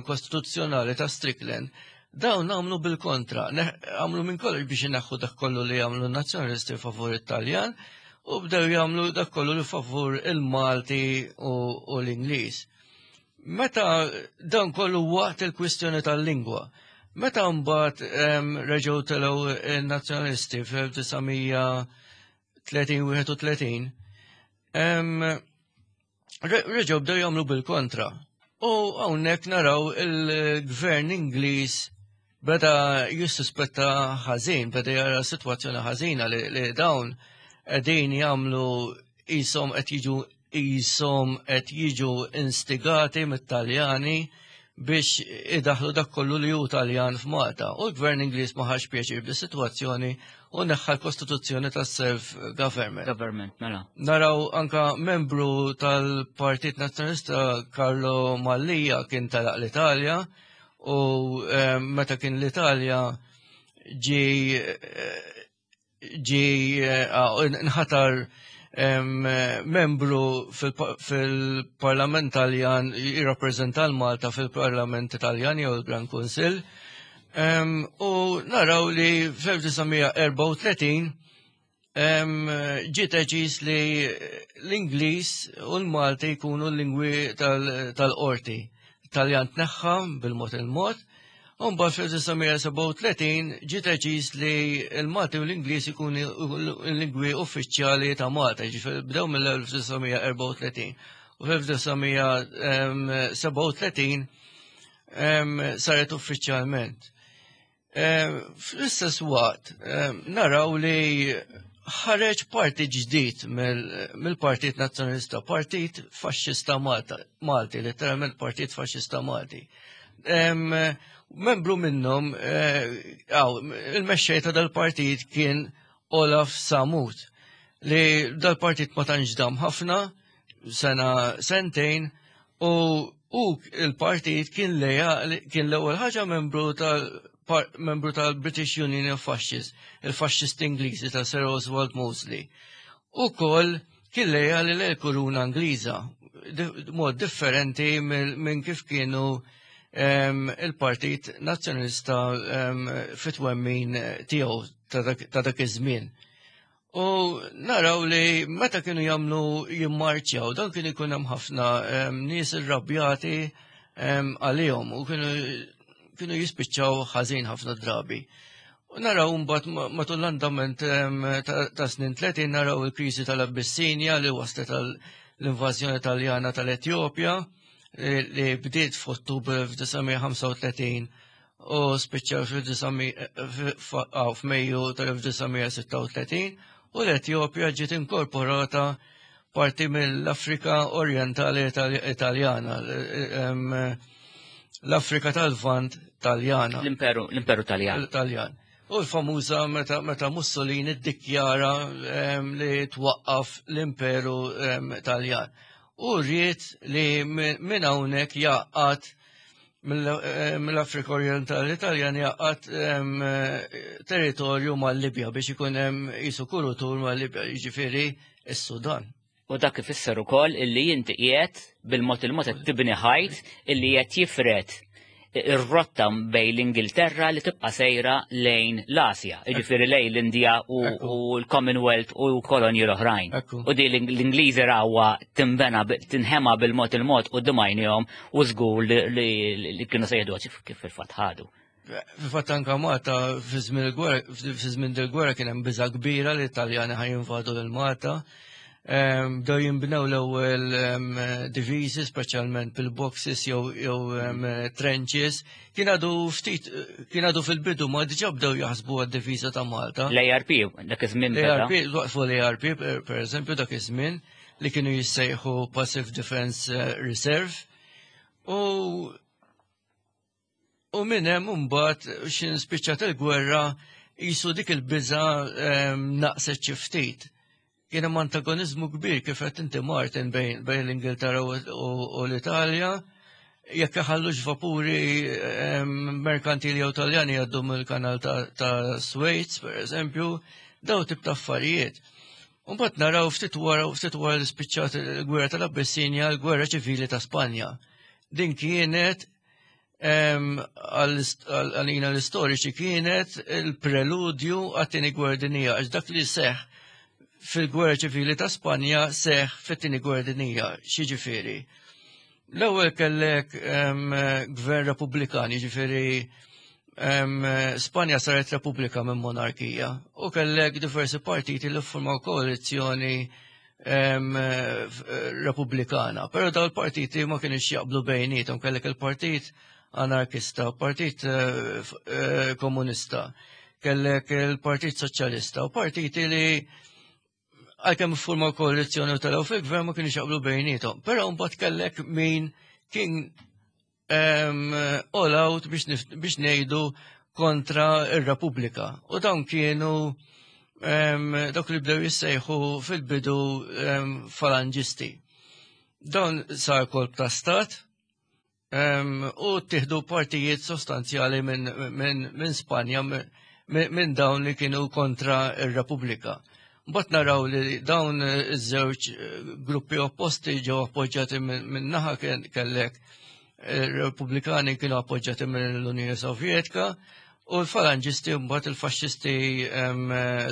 S2: Kostituzzjonali ta' Strickland, dawn għamlu bil-kontra, għamlu minn kollox biex ineħħu dak kollu li għamlu nazzjonalisti favur it-Taljan u bdew jagħmlu dak kollu li favur il-Malti u l-Ingliż. Meta dan kollu waqt il-kwistjoni tal-lingwa, meta mbagħad reġgħu telgħu il-nazzjonalisti fl-elf disa' mija tletin, reġgħu bdew jagħmlu bil-kontra. U hawnhekk naraw il-gvern Ingliż beda jissuspetta ħażin, beda jara sitwazzjoni ħażina li, li dawn qegħdin jagħmlu qishom qed jiġu qishom qed jiġu instigati mit-Taljani biex idaħlu dak kollu li hu Taljan f'Malta. U l-gvern Ingliż ma ħax pjaċir bis-sitwazzjoni u neħħa l-kostituzzjoni tas-self-government.
S1: Government, mela.
S2: Naraw anka membru tal-Partit Nazzjonalista Carlo Mallia kien telaq l-Italja u eh, meta kien l-Italja ġi eh, ġi eh, nħatar membru fil-Parlament Taljan, jirrappreżenta l-Malta fil-Parlament Taljan jew il-Gran Kunsill. U naraw li fl-elf disa' mija erbgħa u tletin ġiet deċiż li l-Ingliż u l-Malti jkunu l-lingwi tal-qorti. Taljan tneħħa bil-mod il-mod. U mbagħad fl-elf disa' mija sebgħa u tletin ġiet deċiż li l-Malti u l-Ingliż ikunu l-lingwi uffiċjali ta' Malta, ġifieri bdew mill-elf disa' mija erbgħa u tletin. U fl-elf disa' mija sebgħa u tletin saret uffiċjalment. Fl-istess waqt naraw li ħareġ partit ġdid mill-Partit Nazzjonalista, Partit Faxxista Malta, Malti, letteralment Partit Faxxista Malti. Membru minnhom, il-mexxej ta' dal-partit kien Olaf Samut, li dal-partit ma tantx dam ħafna, sena sentejn, u u il-partit kien leja kien l-ewwel ħaġa membru tal membru tal-British Union of Fascists, il-Fascist Ingliżi ta' Sir Oswald Mosley. U koll kien lejali l-kuruna Ingliża, mod differenti minn kif kienu il-Partit Nazzjonalista fit-twemmin tiegħu ta' dak iż-żmien. U naraw li meta kienu jagħmlu jimmarċjaw, dan kien ikun hemm ħafna nies irrabjati għalihom u kienu kienu jispiċċaw ħażin ħafna drabi. U naraw mbagħad matul l-andament ta' snin tletin naraw il-kriżi tal-Abbissinja li waslet l-invażjoni Taljana tal-Etjopja li bdiet f'Ottubru elf disa' mija ħamsa u tletin u spiċċaw f'Mejju tal-elf disa' mija sitta u tletin, u l-Etjopja ġiet inkorporata parti mill-Afrika Orientali Italjana, l-Afrika tal-Lvant Taljana.
S1: L-Imperu, l-Imperu Taljan.
S2: Taljan. U l-famuża meta, meta Mussolini ddikjara li twaqqaf l-Imperu Taljan. U rrid li minn hawnhekk jaqgħad mill-Afrika Orientali Taljan jaqgħad territorju mal-Libja biex ikun hemm jisu kurutur mal-Libja, jiġifieri s-Sudan.
S1: U dak ifisser ukoll illi inti qiegħed bil-mod il-mod qed tibni ħajt illi qed jifred ir-rotta bejn l-Ingilterra li tibqa' sejra lejn l-Asja, jiġifieri lejn l-Indja u l-Commonwealth u kolonji l-oħrajn. U di l-Ingliżi rawha tinbena, tinħema bil-mod il-mod u d-dimajnihom u żgur li kienu se jieħdu, kif fil-fatt ħadu.
S2: Fil-fatt anka Malta fi żmien il-gwerra, fi żmien il-gwerra kien hemm biża' kbira li l-Taljani ħa jinvadu lil Malta. Bdew jinbnew l-ewwel diviżi, speċjalment bil-boxes jew jew trenches. Kien għadu ftit, kien għadu fil-bidu, ma diġà bdew jaħsbu għad-diviża ta' Malta.
S1: L-A R P, dak iż-żmien.
S2: L-A R P, waqfu l-A R P per eżempju dak iż-żmien li kienu jissejħu Passive Defense eh, Reserve. U U minn hemm imbagħad x'ħin spiċċat il-gwerra jisu dik il-biża naqset xi ftit. Kien hemm antagonizmu kbir, kif qed inti, Martin, bejn bejn l-Ingilterra u l-Italja jekk iħallux vapuri merkantili jew Taljani jgħaddu mill-kanal ta' Suez, per eżempju, daw tip ta' affarijiet. Mbagħad naraw ftit wara ftit wara li spiċċat il-gwerra tal-Abbissinja, l-gwerra ċivili ta' Spanja. Din kienet, għalina l-istoriċi, kienet il-preludju għat-tieni gwerra dinjija, għax dak li seħ fil-gwerra ċivili ta' Spanja seħ fit-tieni gwerra dinjija. X'jiġifieri? L-ewwel kellek gvern Repubblikan, jiġifieri Spanja saret repubblika minn monarkija, u kellek diversi partiti li formaw koalizzjoni repubblikana. Però daw il-partiti ma kienux jaqblu bejnietom, kellek il-partit anarkista, partit eh, eh, komunista, kellek il-Partit Soċjalista u partiti li għalkemm formaw koalizzjoni u telgħu fil-gvern ma kienux jaqblu bejnietom. Però mbagħad kellek min kien all out biex biex ngħidu kontra ir-Repubblika. U dawn kienu dawk li bdew jissejħu fil-bidu falangisti. Dawn sar kolp ta' stat u tieħdu partijiet sostanzjali minn min, min Spanja minn dawn li kienu kontra ir-Repubblika. Mbagħad naraw li dawn iż-żewġ gruppi opposti ġew appoġġjati minn naħa kellek Repubblikani kienu appoġġjati mill-Unjoni Sovjetika u l-falanġisti mbagħad il-faxxisti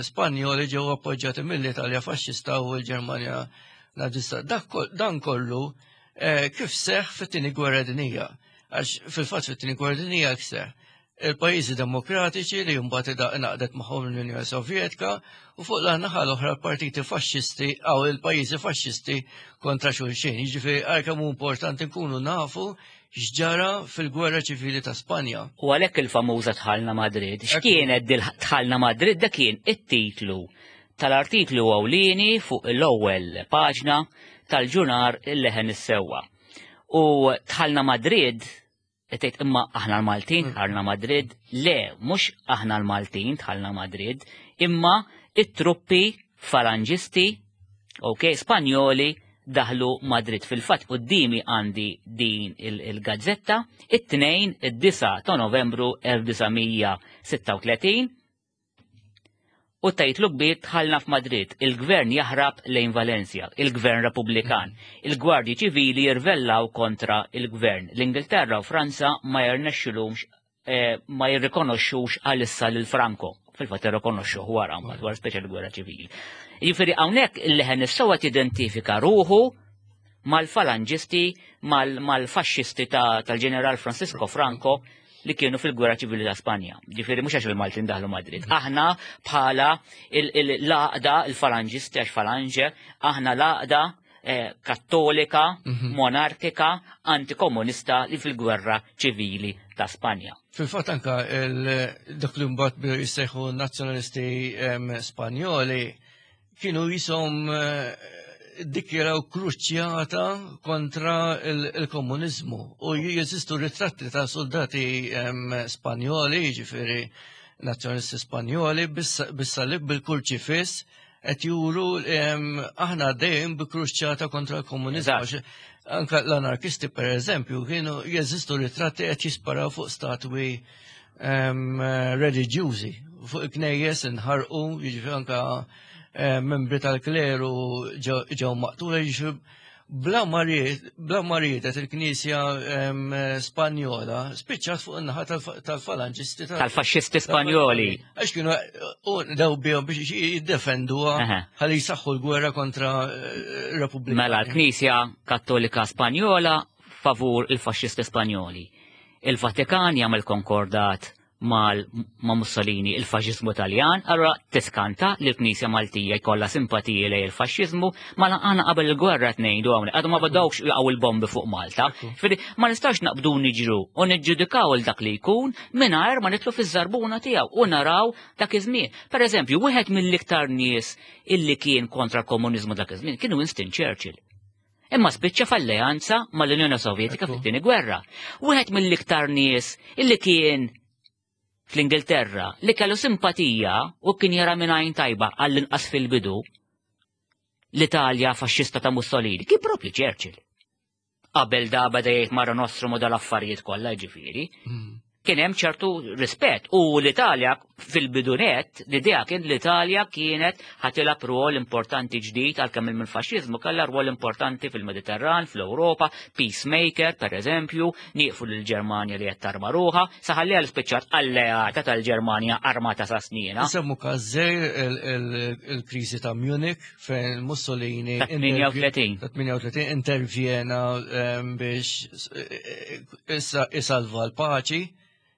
S2: Spanjoli ġew appoġġjati mill-Italja faxxista u l-Ġermanja nazista. Dan kollu kif seħ fit-tieni gwerra dinjija. Għax fil-fatt fit-tieni gwerra dinjija seħ il-pajjiżi demokratiċi li mbagħad ingħaqdet magħhom l-Unjoni Sovjetika u fuq l-naħa l-oħra partiti faxxisti għaw il-pajjiżi faxxisti kontra xulxin. Jiġifieri għal kemm hu importanti nkunu nafu x'ġara fil-gwerra ċivili ta' Spanja.
S1: U għalhekk il-famuża Dħalna Madrid. X'kienet Dħalna Madrid? Dak kien it-titlu tal-artiklu ewlieni fuq l-ewwel paġna tal-ġurnar Il-Leħen is-Sewwa. U Dħalna Madrid, tgħid imma aħna l-Maltin dħalna Madrid, le, mhux aħna l-Maltin dħalna Madrid, imma it-truppi falanġisti, ok, Spanjoli daħlu Madrid. Fil-fatt quddiemi għandi din il-gazzetta, it-tnejn id-disgħa ta' Novembru elf disa' mija sitta u tletin, u tajtlu kbir dħalna f'Madrid, il-gvern jaħrab lejn Valencia, il-gvern Repubblikan, il-gwardji ċivili jirvellaw kontra il-gvern. L-Ingilterra u Franza ma jirnexxilhomx, eh, ma jirrikonoxxux għalissa lil Franco. Fil-fatt jirrikonoxxuh wara mbagħad wara speċjal gwerra ċivili. Jiġifieri hawnhekk il-Leħen is-Sewwa tidentifika ruħu mal-falanġisti, mal-faxxisti tal-ġeneral Francisco Franco li kienu fil-gwerra ċivili ta' Spanja. Ġifieri mhux għax il-Maltin daħlu Madrid. Aħna bħala l-għaqda, il-falanġisti għax falanġe, aħna l-għaqda, eh, kattolika,
S2: Mhm.
S1: monarkika, antikomunista li fil-gwerra ċivili ta' Spanja.
S2: Fil-fatt anka dak li mbagħad bdew jissejħu nazzjonalisti, em, Spanjoli kienu jisom, eh, dikjaraw kruċjata kontra il-komunizmu u jeżistu ritratti ta' soldati, em, Spanjoli, jiġifieri nazzjonalisti Spanjoli, bis-salib bil-kurċifiss qed juru, em, aħna dejjem bi kruċjata kontra l-komunizmu.
S1: Eżatt.
S2: Anka l-anarkisti per eżempju kienu jeżistu ritratti qed jisparaw fuq statwi, em, reliġjużi, fuq knejjes inħarqu, jiġifieri anka, eh, membri tal-kleru ġew, ġew maqtula, jiġifieri bla ma ried, bla ma riedet il-Knisja, em, Spanjola spiċċat fuq in-naħa tal-fa-, tal-falanġisti tal-
S1: Tal-faxxisti Spanjoli.
S2: Għax kienu, u daw bihom biex jiddefenduha
S1: Aha.
S2: ħalli jsaħħu l-gwerra kontra, eh, Repubblika.
S1: Mela l-Knisja Kattolika Spanjola favur il-faxxisti Spanjoli. Il-Vatikan jagħmel konkordat mal-, ma' Mussolini il-faxxiżmu Taljan, allura tiskanta li l-Knisja Maltija jkollha simpatiji lejn il-faxxiżmu, ma laqana qabel il-gwerra qed ngħidu hawnhekk, għadu ma bdewx jaqgħu il-bombi fuq Malta.
S2: Ekku.
S1: Ġifieri ma nistax naqbdu niġru u niġġudikaw il dak li jkun mingħajr ma nitlu fiż-żarbuna tiegħu u naraw dak iż-żmien. Per eżempju, wieħed mill-iktar nies illi kien kontra l-komuniżmu dak iż-żmien kien Winston Churchill. Imma spiċċa f'alleanza mal-Unjoni Sovjetika
S2: Ekku.
S1: fit-tieni gwerra. Wieħed mill-iktar nies illi kien fl-Ingilterra li kellu simpatija u kien jara minn għajn tajba għall-inqas fil-bidu l-Italja faxxista ta' Mussolini, kien propju Churchill. Qabel da beda jgħid Mare Nostrum u dal-affarijiet kollha ġifieri.
S2: Mm.
S1: Kien hemm ċertu rispett u l-Italja fil-bidunet, l-idea kien l-Italja kienet ħatilab rwol importanti ġdid għalkemm il-faxxiżmu kellha rwol importanti fil-Mediterran, fl-Ewropa, peacemaker per eżempju, nieqfu lill-Ġermanja li qed tarma ruħha, saħalliha l-spiċċat alleata tal-Ġermanja armata sa snina.
S2: Nsemmu każżejr il-, il-, il-kriżi ta' Munich fejn Mussolini
S1: Ta' tmienja u tletin.
S2: ta' tmienja u tletin intervjena, ehm, biex, eh, issa isalva l-paċi.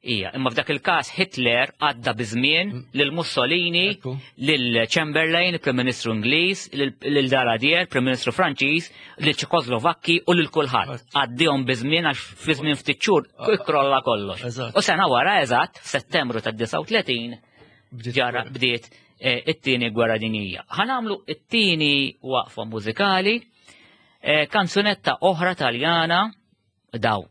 S1: Ija, imma f'dak il-każ Hitler għadda biżmien
S2: Mm.
S1: lil Mussolini,
S2: Ekku.
S1: lil Chamberlain, il-Prim Ministru Ingliż, lil, lil Daladier, Prim Ministru Franċiż, lil Ċekoslovakki u lil kulħadd.
S2: Eżatt.
S1: Għaddihom biżmien għax fi żmien ftit xhur
S2: Ah.
S1: ikkrolla kollox.
S2: Eżatt.
S1: U sena wara eżatt, f'Settembru tad-disgħa u tletin,
S2: Bdiet
S1: ġara
S2: gwerra.
S1: bdiet, eh, it-tieni gwerra dinjija. Ħa nagħmlu it-tieni waqfa mużikali, eh, kanzunetta oħra Taljana, daw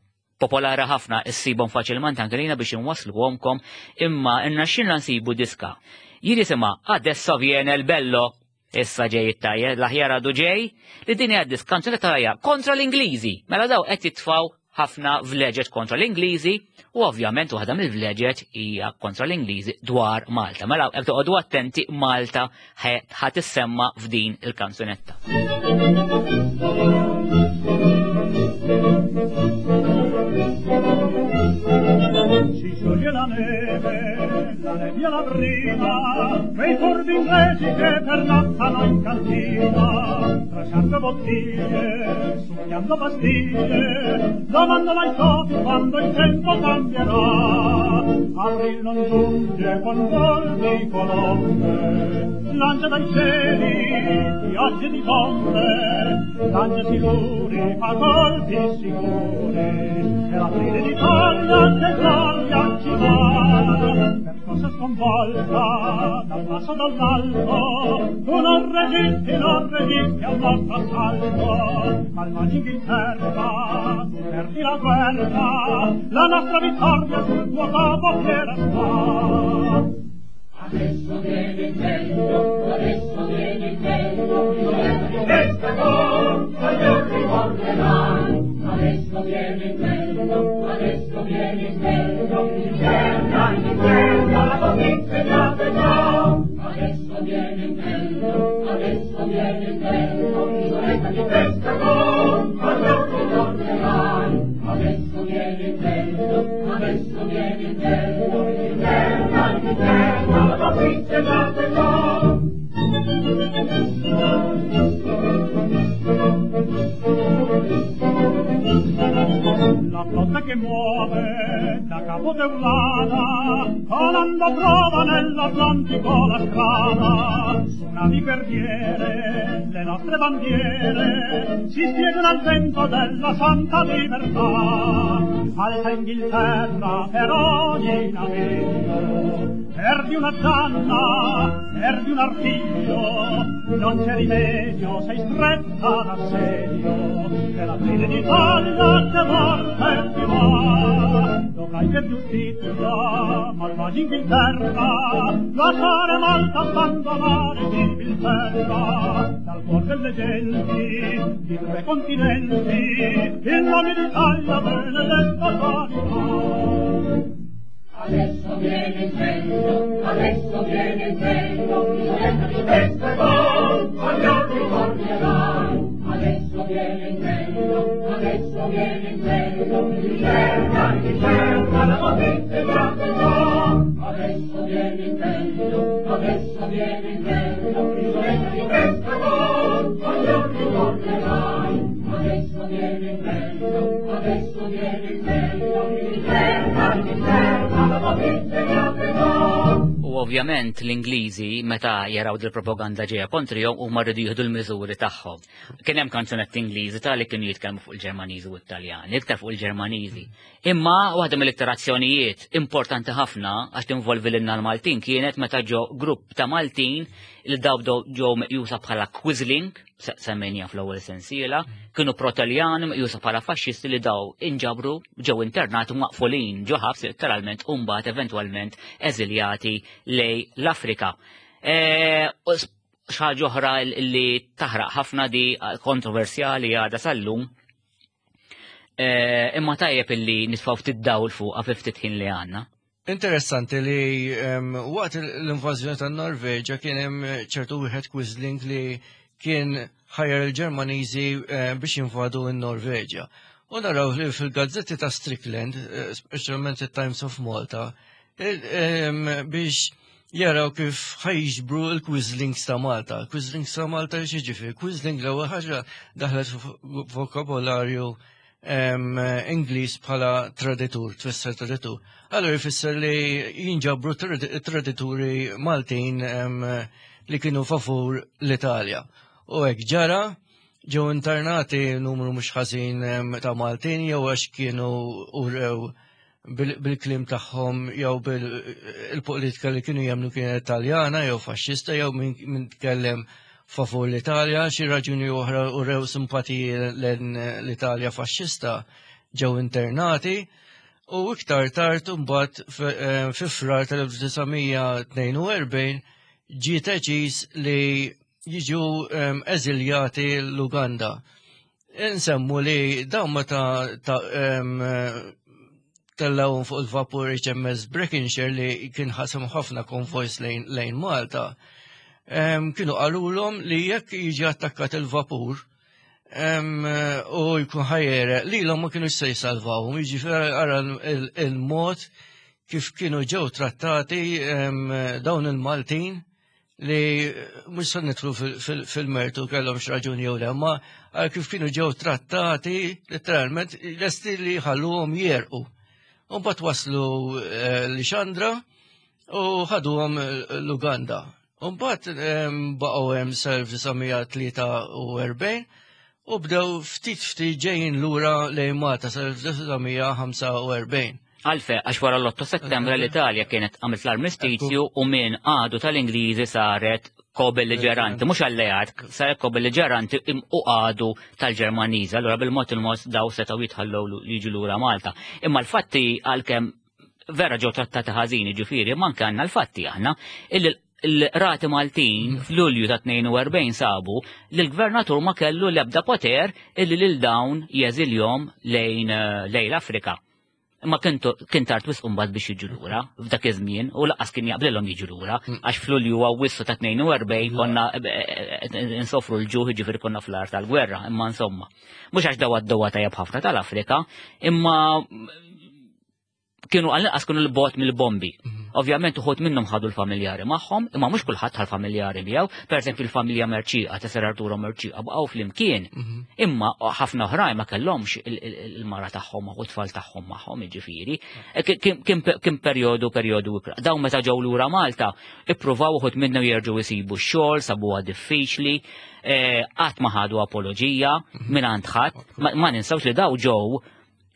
S1: popolari ħafna issibhom faċilment anke lejna biex inwassluhomkom, imma irnexxielna nsibu diska. Jien jisimha Adesso viene il bello, issa ġej it-tajjeb, l-aħjar għadu ġej, li din hija diska kanzunetta tajja kontra l-Ingliżi. Mela daw qed jitfgħu ħafna vleġeġ kontra l-Ingliżi u ovvjament waħda mill-vleġeġ hija kontra l-Ingliżi dwar Malta. Mela jekk toqgħodu attenti, Malta ħa tissemma f'din il-kanzunetta.
S3: Si scioglie la neve, la nebbia la prima, quei furbi inglesi che pernottano in cantina, trasciando bottiglie, succhiando pastiglie, domandano ai topi quando il tempo cambierà. Avril non giunge con vol di colombe, lancia dai cieli piogge di bombe, lancia siluri fa colpi sicuri, e l'aprile d'Italia che gloria ci va. Per cosa sconvolta dal basso dall'alto, tu non resisti, non resisti al nostro assalto, malvagi Inghilterra, tu perdi la guerra, la nostra vittoria sul tuo capo fiera sta.
S4: Adesso viene il vento, adesso viene il vento, il pescatore, voglio ricorderai. Adesso viene il vento, adesso viene il vento, Inghilterra, Inghilterra, la convince già già. Adesso viene il vento, adesso viene il vento, isoletta di pescatore, voglio ricorderai. Adesso viene il vento, adesso viene il vento, Inghilterra, Inghilterra, la convince già già.
S3: La flotta che muove da Capo Teulada, colando trova nell'Atlantico la strada. Su navi guerriere le nostre bandiere si spiegano al vento della santa libertà. Alta Inghilterra per ogni naviglio, perdi una zanna, perdi un artiglio, non c'è rimedio, sei stretta d'assedio, che l'aprile d'Italia che morte ti va. Dovrai per giustizia, malvagi Inghilterra, lasciare Malta, abbandonare Gibilterra. Dal cuor delle genti, di tre continenti, il nome d'Italia benedetta salirà.
S4: Adesso viene il vento, adesso viene il vento, isoletta di pescatore, voglio ricorderai. Adesso viene il vento, adesso viene il vento, Inghilterra, Inghilterra, la convince già già. Adesso viene il vento, adesso viene il vento, isoletta di pescatore, voglio ricorderai. Adesso viene il vento, adesso viene il vento, Inghilterra, Inghilterra, la convince già già.
S1: U ovvjament l-Ingliżi meta jaraw dil-propaganda ġejja kontrihom huma rridu jieħdu l-miżuri tagħhom. Kien hemm kanzunetti Ingliżi ta' li kienu jitkellmu fuq il-Ġermaniżi u t-Taljani, iktar fuq il-Ġermaniżi. Imma waħda mill-iktar azzjonijiet importanti ħafna għax tinvolvi lilna l-Maltin kienet meta ġew grupp ta' Maltin li daw ġew meqjusa bħala Quisling, semmejnija fl-ewwel sensiela, kienu pro-Taljani meqjusa bħala faxxisti li daw inġabru ġew internati maqfulin ġo ħabs letteralment u mbagħad eventwalment eżiljati lej l-Afrika. Xi ħaġa oħra li taħraq ħafna, di kontroversjali għadha sal-lum. Imma tajjeb illi nitfgħu ftit dawl fuqha fi ftit ħin li għandna.
S2: Interessanti li waqt l-invażjoni tan-Norveġa kien hemm ċertu wieħed Quisling li kien ħajjar il-Ġermaniżi biex jinvadu n-Norveġa. U naraw li fil-gazzetti ta' Strickland, speċjalment il-Times of Malta, biex jaraw kif ħa jiġbru il-Quislings ta' Malta. Quislings ta' Malta x'jiġifieri? Quisling l-ewwel ħaġa daħlet vokabolarju Ingliż bħala traditur, tfisser traditur. Allora jfisser li jinġabru tradituri Maltin li kienu favur l-Italja. U hekk ġara, ġew internati numru mhux ħażin ta' Maltin jew għax kienu urew bil-kliem tagħhom jew bil-politika li kienu jemmnu kienet Italjana jew faxxista jew min tkellem favur l-Italja, xi raġuni oħra urew simpatiji l-Italja faxxista, ġew internati u iktar tard mbagħad fi Frar tal-elf disa' mija tnejn u erbgħin ġie deċiż li jiġu eżiljati l-Uganda. Insemmu li dawn meta tellgħuhom fuq il-vapur H M S Breconshire li kien ħasem ħafna konvojs lejn Malta, kienu qalulhom li jekk jiġi attakkat il-vapur u jkun ħa jegħreq, li l ma kienu se jsalvawhom, jiġifieri ara il-mod kif kienu ġew trattati dawn il-Maltin li mhux se nidħlu fil-mertu kellhom raġuni jew le, ma kif kienu ġew trattati letteralment lesti li ħalluhom jegħrqu. U mbagħad waslu eh, Lixandra u ħaduhom l-Uganda. U mbagħad baqgħu hemm sal-elf disa' mija tlieta u erbgħin u bdew ftit ftit ġejjin lura lejn Malta sal-elf disa' mija ħamsa u erbgħin.
S1: Għalfejn, għax wara l-otto settembru l-Italja kienet għamilt l-armistizju u minn għadu tal-Ingliżi saret ko-belliġeranti, mhux alleat, saret ko-belliġeranti u għadu tal-Ġermaniżi. Allura bil-mod il-mod daw setgħu jitħallew jiġu lura Malta. Imma l-fatti, għalkemm vera ġew trattati ħażin, ġifieri, manka għandna l-fatti aħna illi l-rati Maltin fl-Lulju ta' tnejn u erbgħin sabu li l-gvernatur ma kellu l-ebda poter illi lil dawn jeżiljahom lejn lejn l-Afrika. Imma kien tard wisq mbagħad biex jiġu lura f'dak iż-żmien u lanqas kien jaqblilhom jiġu lura għax f'Lulju Awwissu ta' tnejn u erbgħin konna insofru l-ġuħ, ġifieri konna fl-art tal-gwerra, imma insomma. Mhux għax daw għaddew tajjeb ħafna tal-Afrika, imma kienu għal-inqas kienu 'l bogħod mill-bombi. Ovvjament uħud minnhom ħadu l-familjari magħhom, imma mhux kulħadd ħa l-familjari miegħu. Per eżempju, il-familja Merċieqa ta' Sir Arturo Merċieqa baqgħu flimkien. Imma ħafna oħrajn ma kellhomx il-mara tagħhom u t-tfal tagħhom magħhom, jiġifieri. Kien perjodu perjodu ikrah. Dawn meta ġew lura Malta, ippruvaw uħud minnhom jerġgħu jsibu x-xogħol, sabuha diffiċli, qatt ma ħadu apoloġija minn għand ħadd. Ma ninsawx li daw ġew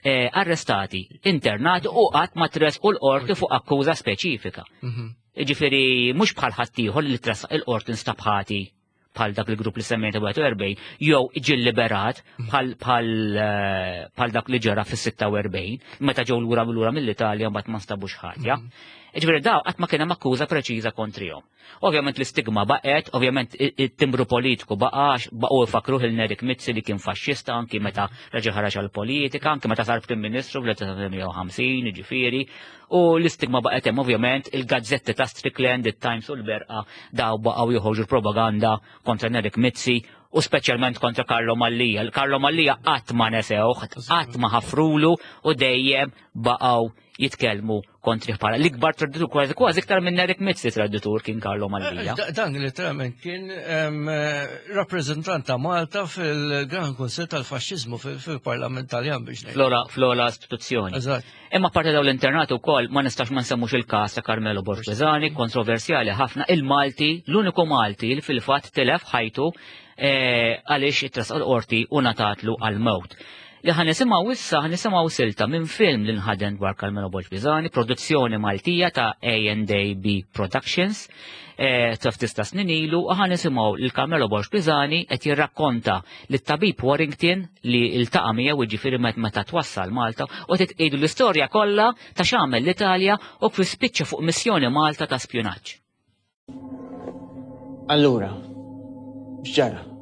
S1: arrestati, internati u qatt ma tressqu l-qorti fuq akkuża speċifika. Ġifieri mhux bħal ħaddieħor li tressaq il-qorti, nstab ħati bħal dak il-grupp li semmejta wieħed u erbgħin, jew ġi liberat bħal dak li ġara fis-sitta u erbgħin meta ġew lura lura mill-Italja, mbagħad ma nstabux ħatja. Ġifieri daw qatt ma kien hemm akkuża preċiża kontrihom. Ovvjament l-istigma baqgħet, ovvjament it-timbru politiku baqax, baqgħu ifakruh lil Nerik Mizzi li kien faxxista anki meta reġa' ħareġ għall-politika, anki meta sar Prim Ministru fl-elf disa' mija ħamsin, ġifieri, u l-istigma baqgħet hemm. Ovvjament il-gazzetti ta' Strickland, it-Times u l-Berqa, daw baqgħu joħorġu propaganda kontra Nerik Mizzi u speċjalment kontra Carlo Mallia. Carlo Mallia qatt ma nesewh, qatt ma ħafrulu u dejjem baqgħu jitkellmu kontri bħala l-ikbar traditur, kważi kważi iktar minn Nerik Mizzi traditur kien Carlo Mallia.
S2: Dan literalment kien rappreżentant ta' Malta fil-Gran Kunsill tal-Faxxiżmu fil-Parlament Taljan biex ngħid.
S1: Flora flora istituzzjoni.
S2: Eżatt.
S1: Imma parti daw l-internat ukoll ma nistax ma nsemmux il-każ ta' Carmelo Borg Pisani, kontroversjali ħafna, il-Malti, l-uniku Malti li fil-fatt tilef ħajtu għaliex tressaq l-qorti u ngħatatlu għal-mewt. Li ħa nisimgħu issa, ħa nisimgħu silta minn film li nħadem dwar Carmelo Borg Pisani, produzzjoni Maltija ta' A and A B Productions, ta' ftit ta' snin ilu, u ħa nisimgħu lil Carmelo Borg Pisani qed jirrakkonta lit tabib Warrington li iltaqa' miegħu, jiġifieri meta twassal Malta, u titqidu l-istorja kollha ta' x'għamel l-Italja u kif spiċċa fuq missjoni Malta ta' spjunaġġ.
S5: Allura, x'ġara?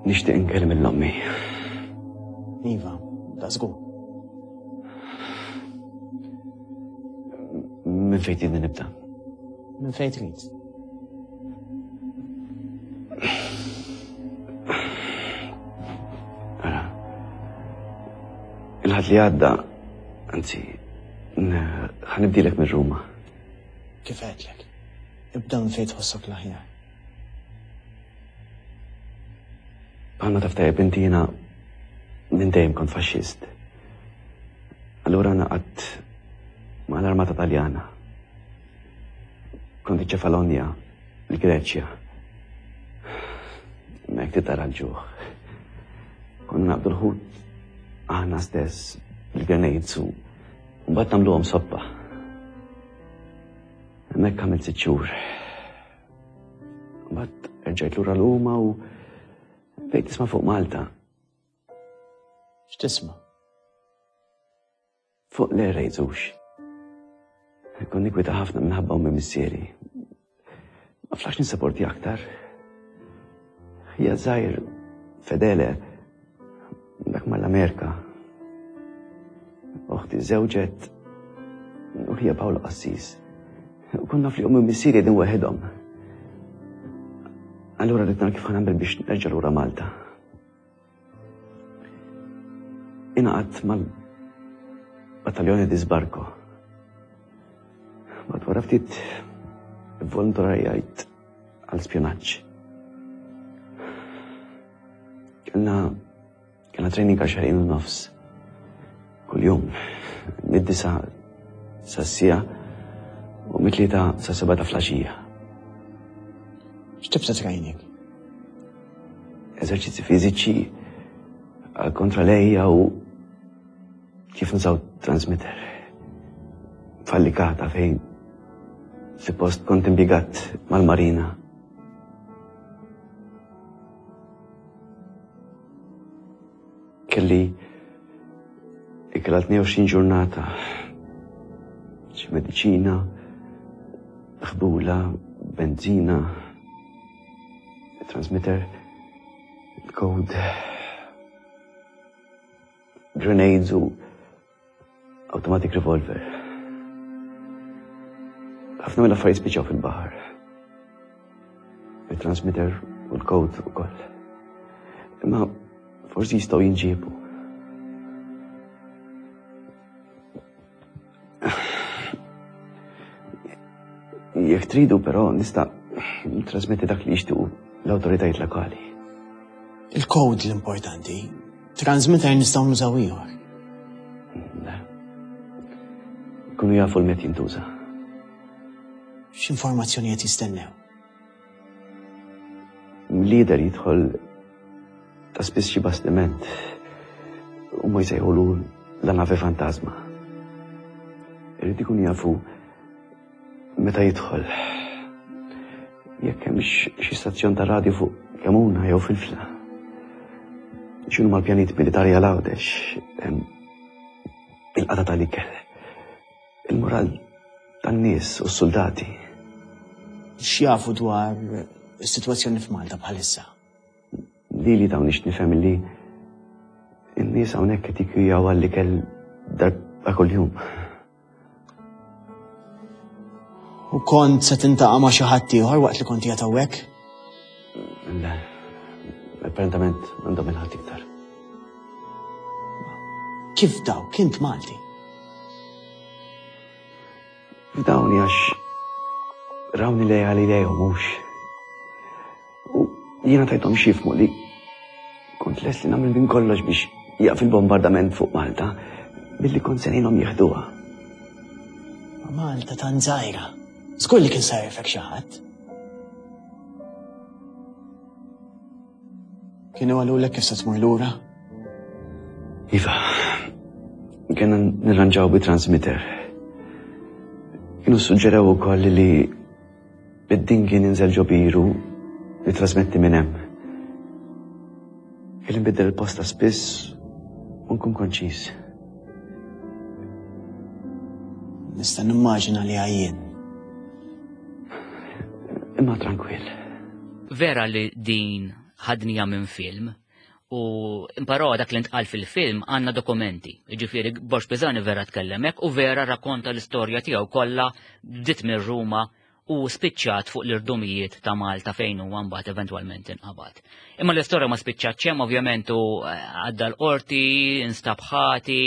S6: Nixtieq inkellem lil ommi.
S5: Iva, da żgur.
S6: Minn fejn tridni nibda?
S5: Minn fejn trid.
S6: Ara. Il-Ħadd li għadda, anzi, ħa nibdilek minn Ruma.
S5: Kif għedtlek? Ibda minn fejn tħossok l-aħjar.
S6: Bħalma taf tajjeb inti, jiena minn dejjem kont faxxist. Allura ngħaqadt ma' l-Armata Taljana. Kont Ċefalonja, l-Greċja. Mek titara l-ġuħ. Konna naqbdu l-ħut aħna stess bil-grenades u mbagħad nagħmluhom soppa. Hemmhekk għamilt sitt xhur. Mbagħad erġajt lura Ruma u bdejt nisma' fuq Malta.
S5: X'tisma'?
S6: Fuq l-air raids hux. Kont ninkwieta ħafna minħabba ommi, missieri. Ma flaħtx nissaporti aktar. Ħija żgħir Fedele, dak mal-Amerika. Uħti żewġet u ħija Paolo qassis. U konna fli ommi missieri din waħedhom. Allura rrid nara kif ħa nagħmel biex nerġa' lura Malta. Ingħaqadt mal-battaljoni di Sbarco. Mbagħad wara ftit volontarjajt għal spjonaġġ. Kellna kellna training għal xahrejn u nofs. Kuljum, mid-disa sa sija u mit-tlieta sa seba' ta' flaxija.
S5: X'tip ta' training?
S6: Eżerċizzi fiżiċi għal kontra lejja u kif nużaw transmitter. Fallikata fejn suppost kont impjegat mal-marina. Kelli ikel għal tnejn u għoxrin ġurnata, xi mediċina, ħbula, benzina, transmitter, code, grenades u automatic revolver. Ħafna mill-affarijiet spiċċaw fil-baħar. Il-transmitter u l-code ukoll. Imma forsi jistgħu jinġiebu. Jekk tridu però nista' trasmetti dak li jixtiequ l-awtoritajiet lokali.
S5: Il-code l-importanti. Transmitter nistgħu nużaw ieħor.
S6: Le. Kunu jafu l-met jintuża.
S5: X'informazzjoni qed jistennew?
S6: Lider jidħol ta' spiss xi bastiment u ma jsejħulu la nave fantasma. Irid ikun jafu meta jidħol. Jekk hemm xi stazzjon ta' radju fuq Kemuna jew Filfla. X'inhu mal-pjanijiet militari għal Għawdex, il-qata tal-ikel, il-moral tan-nies u s-soldati.
S5: X'jafu dwar is-sitwazzjoni f'Malta bħalissa?
S6: Lili dawn nix nifhem li n-nies hawnhekk qed jikkwijaw għall-ikel darba kuljum.
S5: U kont se tintaqa' ma' xi ħadd ieħor waqt li kont qiegħed hawnhekk?
S6: Le, apparentament m'għandhom il-ħadd iktar.
S5: Kif daw? Kint Malti?
S6: F'dawni għax rawni lejali lejhom mhux. U jiena tajthom x'jifhmu li kont lest li nagħmel minn kollox biex jaqf il-bombardament fuq Malta billi kont se ngħinhom jieħduha.
S5: Ma Malta tant żgħira. Żgur li kien sajrfek xi ħadd. Kienu qalulek kif se tmur lura?
S6: Iva, kienna nirranġaw bi transmitter. Kienu suġġerew ukoll li id-din kien inżel ġo biru li trasmetti minn hemm. Kelli nbiddel il-posta spiss u nkun konċis.
S5: Nista' nimmaġina li għajjien.
S6: Imma tranquill.
S1: Vera li din ħadnija minn film u imparò dak li ntqal fil-film għandna dokumenti. Jiġifieri Borg Pisani vera tkellem hekk u vera rakkonta l-istorja tiegħu kollha bdiet minn Ruma u spiċċat fuq l-irdumijiet ta' Malta fejn huwa mbagħad eventwalment inqabad. Imma l-istorja ma spiċċatx hemm, ovvjament, u għadda l-qorti, instab ħati,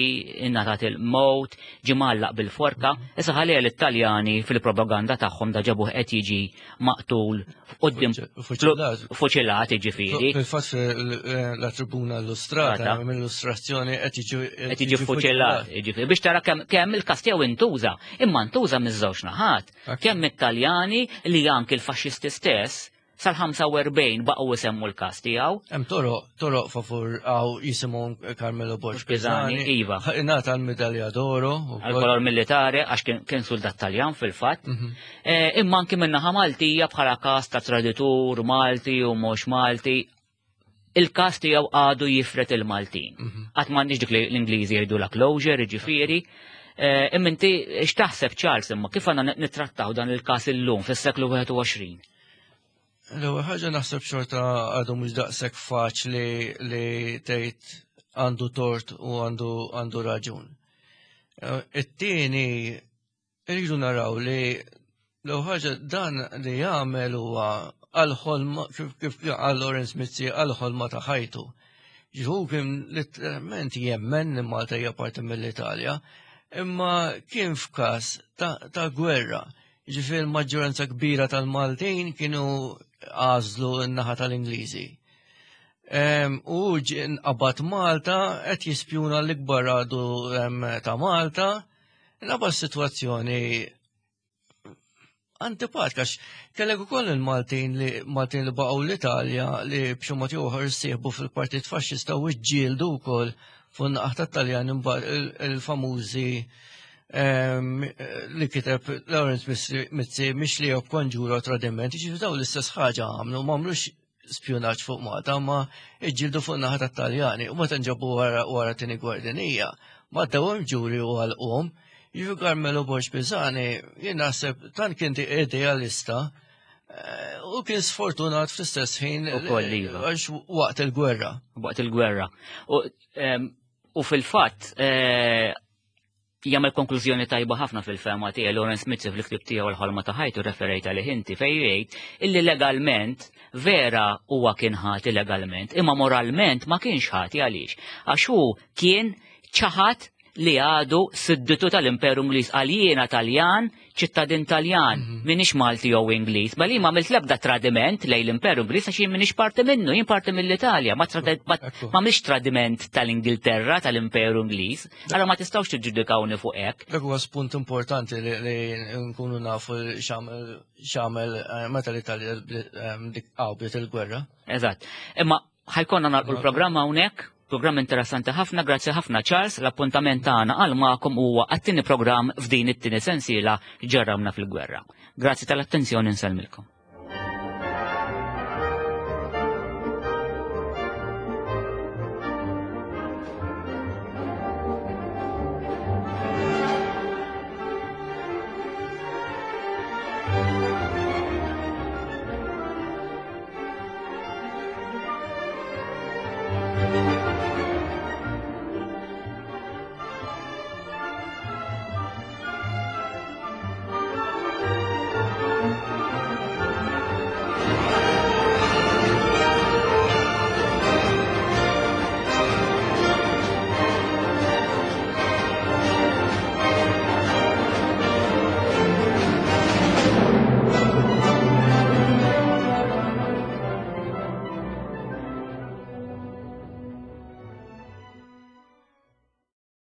S1: ingħatat il-mowt, ġie mgħallaq bil-forka. Issa ħalli l-Italjani fil-propaganda tagħhom da ġabuh qed jiġi maqtul quddiem
S2: Fuċilat.
S1: Fuċilat, jiġifieri.
S2: Fil-fatt la Tribuna Illustrata,
S1: Strata.
S2: mill-illustrazzjoni qed jiġi
S1: Qed jiġi fuċilat, jiġifieri. Biex tara kemm, kemm il-każ tiegħu intuża, imma ntuża miż-żewġ naħat. Kemm it-Taljani li anki l-faxxisti stess sal-ħamsa u erbgħin baqgħu isemmu l-każ tiegħu.
S2: Hemm toroq, toroq favur għaw jisimhom Carmelo Borg
S1: Pisani,
S2: Pisani.
S1: iva.
S2: Ingħata l-medalja d'oro ukoll.
S1: Għal-kolor militari għax kien, kien soldat Taljan fil-fatt.
S2: Mhm.
S1: Eh, imma anki min-naħa Maltija bħala każ ta' traditur Malti u mhux Malti, il-każ tiegħu għadu jifret il-Maltin.
S2: Mhm.
S1: Qatt m'għandniex dik li l-Ingliżi jgħidu la closure, jiġifieri. Eh, imma inti x'taħseb Charles, imma kif għandna nittrattaw dan il-każ illum fis-seklu wieħed u għoxrin?
S2: L-ewwel ħaġa naħseb xorta għadu mhux daqshekk faċli li tgħid għandu tort u għandu għandu raġun. Eh, It-tieni irridu naraw li l-ewwel ħaġa dan li jagħmel huwa għal-ħolma kif kif għal Lawrence Mizzi għal-ħolma ta' ħajtu. Ġihu kien letteralment jemmen li Malta hija parti mill-Italja, imma kien f'każ ta', ta' gwerra. Ġifieri l-maġġoranza kbira tal-Maltin kienu għażlu n-naħa tal-Ingliżi. Em, U ġie nqabad Malta qed jispjuna l-ikbar għadu em, ta' Malta, nqabad situazzjoni antipatika, għax kellek ukoll il-Maltin li Maltin li baqgħu l-Italja li b'xi mod jew ieħor sieħbu fil-Partit Faxxista u ġġieldu wkoll fuq naħa tat-Taljan imbagħad il- il-famużi em, li kiteb Lawrence Mizzi- Mizzi mhix li konġura u tradiment, ġifieri daw l-istess ħaġa għamlu, ma għamlux spjunaġġ fuq Malta, ma iġġieldu fuq naħa tat-Taljani u meta nġabu wara wara tieni gwerra dinjija, ma dawhom ġuri u għalqhom. Jiġifieri Carmelo Borg Pisani, jien naħseb tant kien idealista eh, u kien sfortunat fl-istess ħin
S1: Ukoll, iva.
S2: għax waqt il-gwerra.
S1: Waqt il-gwerra. U, em, u fil-fatt, eh, jagħmel konklużjoni tajba ħafna fil-fehma tiegħi Lawrence Mizzi fil-ktib tiegħu l-ħolma ta' ħajtu referejt għalih inti fejn jgħid illi legalment vera huwa kien ħati legalment, imma moralment ma kienx ħati għaliex. Għax hu kien ċaħat li għadu sudditu tal-Imperu Ingliż għal jiena Taljan, ċittadin Taljan, minix Malti jew Ingliż, ma li ma għamilt l-ebda tradiment lejn l-Imperu Ingliż għax jien minix parti minnu, jien parti mill-Italja, ma trade- ma
S2: Ekku.
S1: ma għamilx tradiment tal-Ingilterra, tal-Imperu Ingliż, allora ma tistgħux tiġġudikawni fuq hekk.
S2: Dak huwa spunt importanti li, li nkunu nafu x'għamel x'għamel eh, meta l-Italja eh, dik bdiet il-gwerra.
S1: Eżatt. Imma ħa jkollna nagħlqu l-programm hawnhekk, programm interessanti ħafna, grazzi ħafna Charles, l-appuntament tagħna għal magħkom huwa għat-tieni programm f'din it-tieni sensiela ġarramna fil-gwerra. Grazzi tal-attenzjoni nsellmilkom.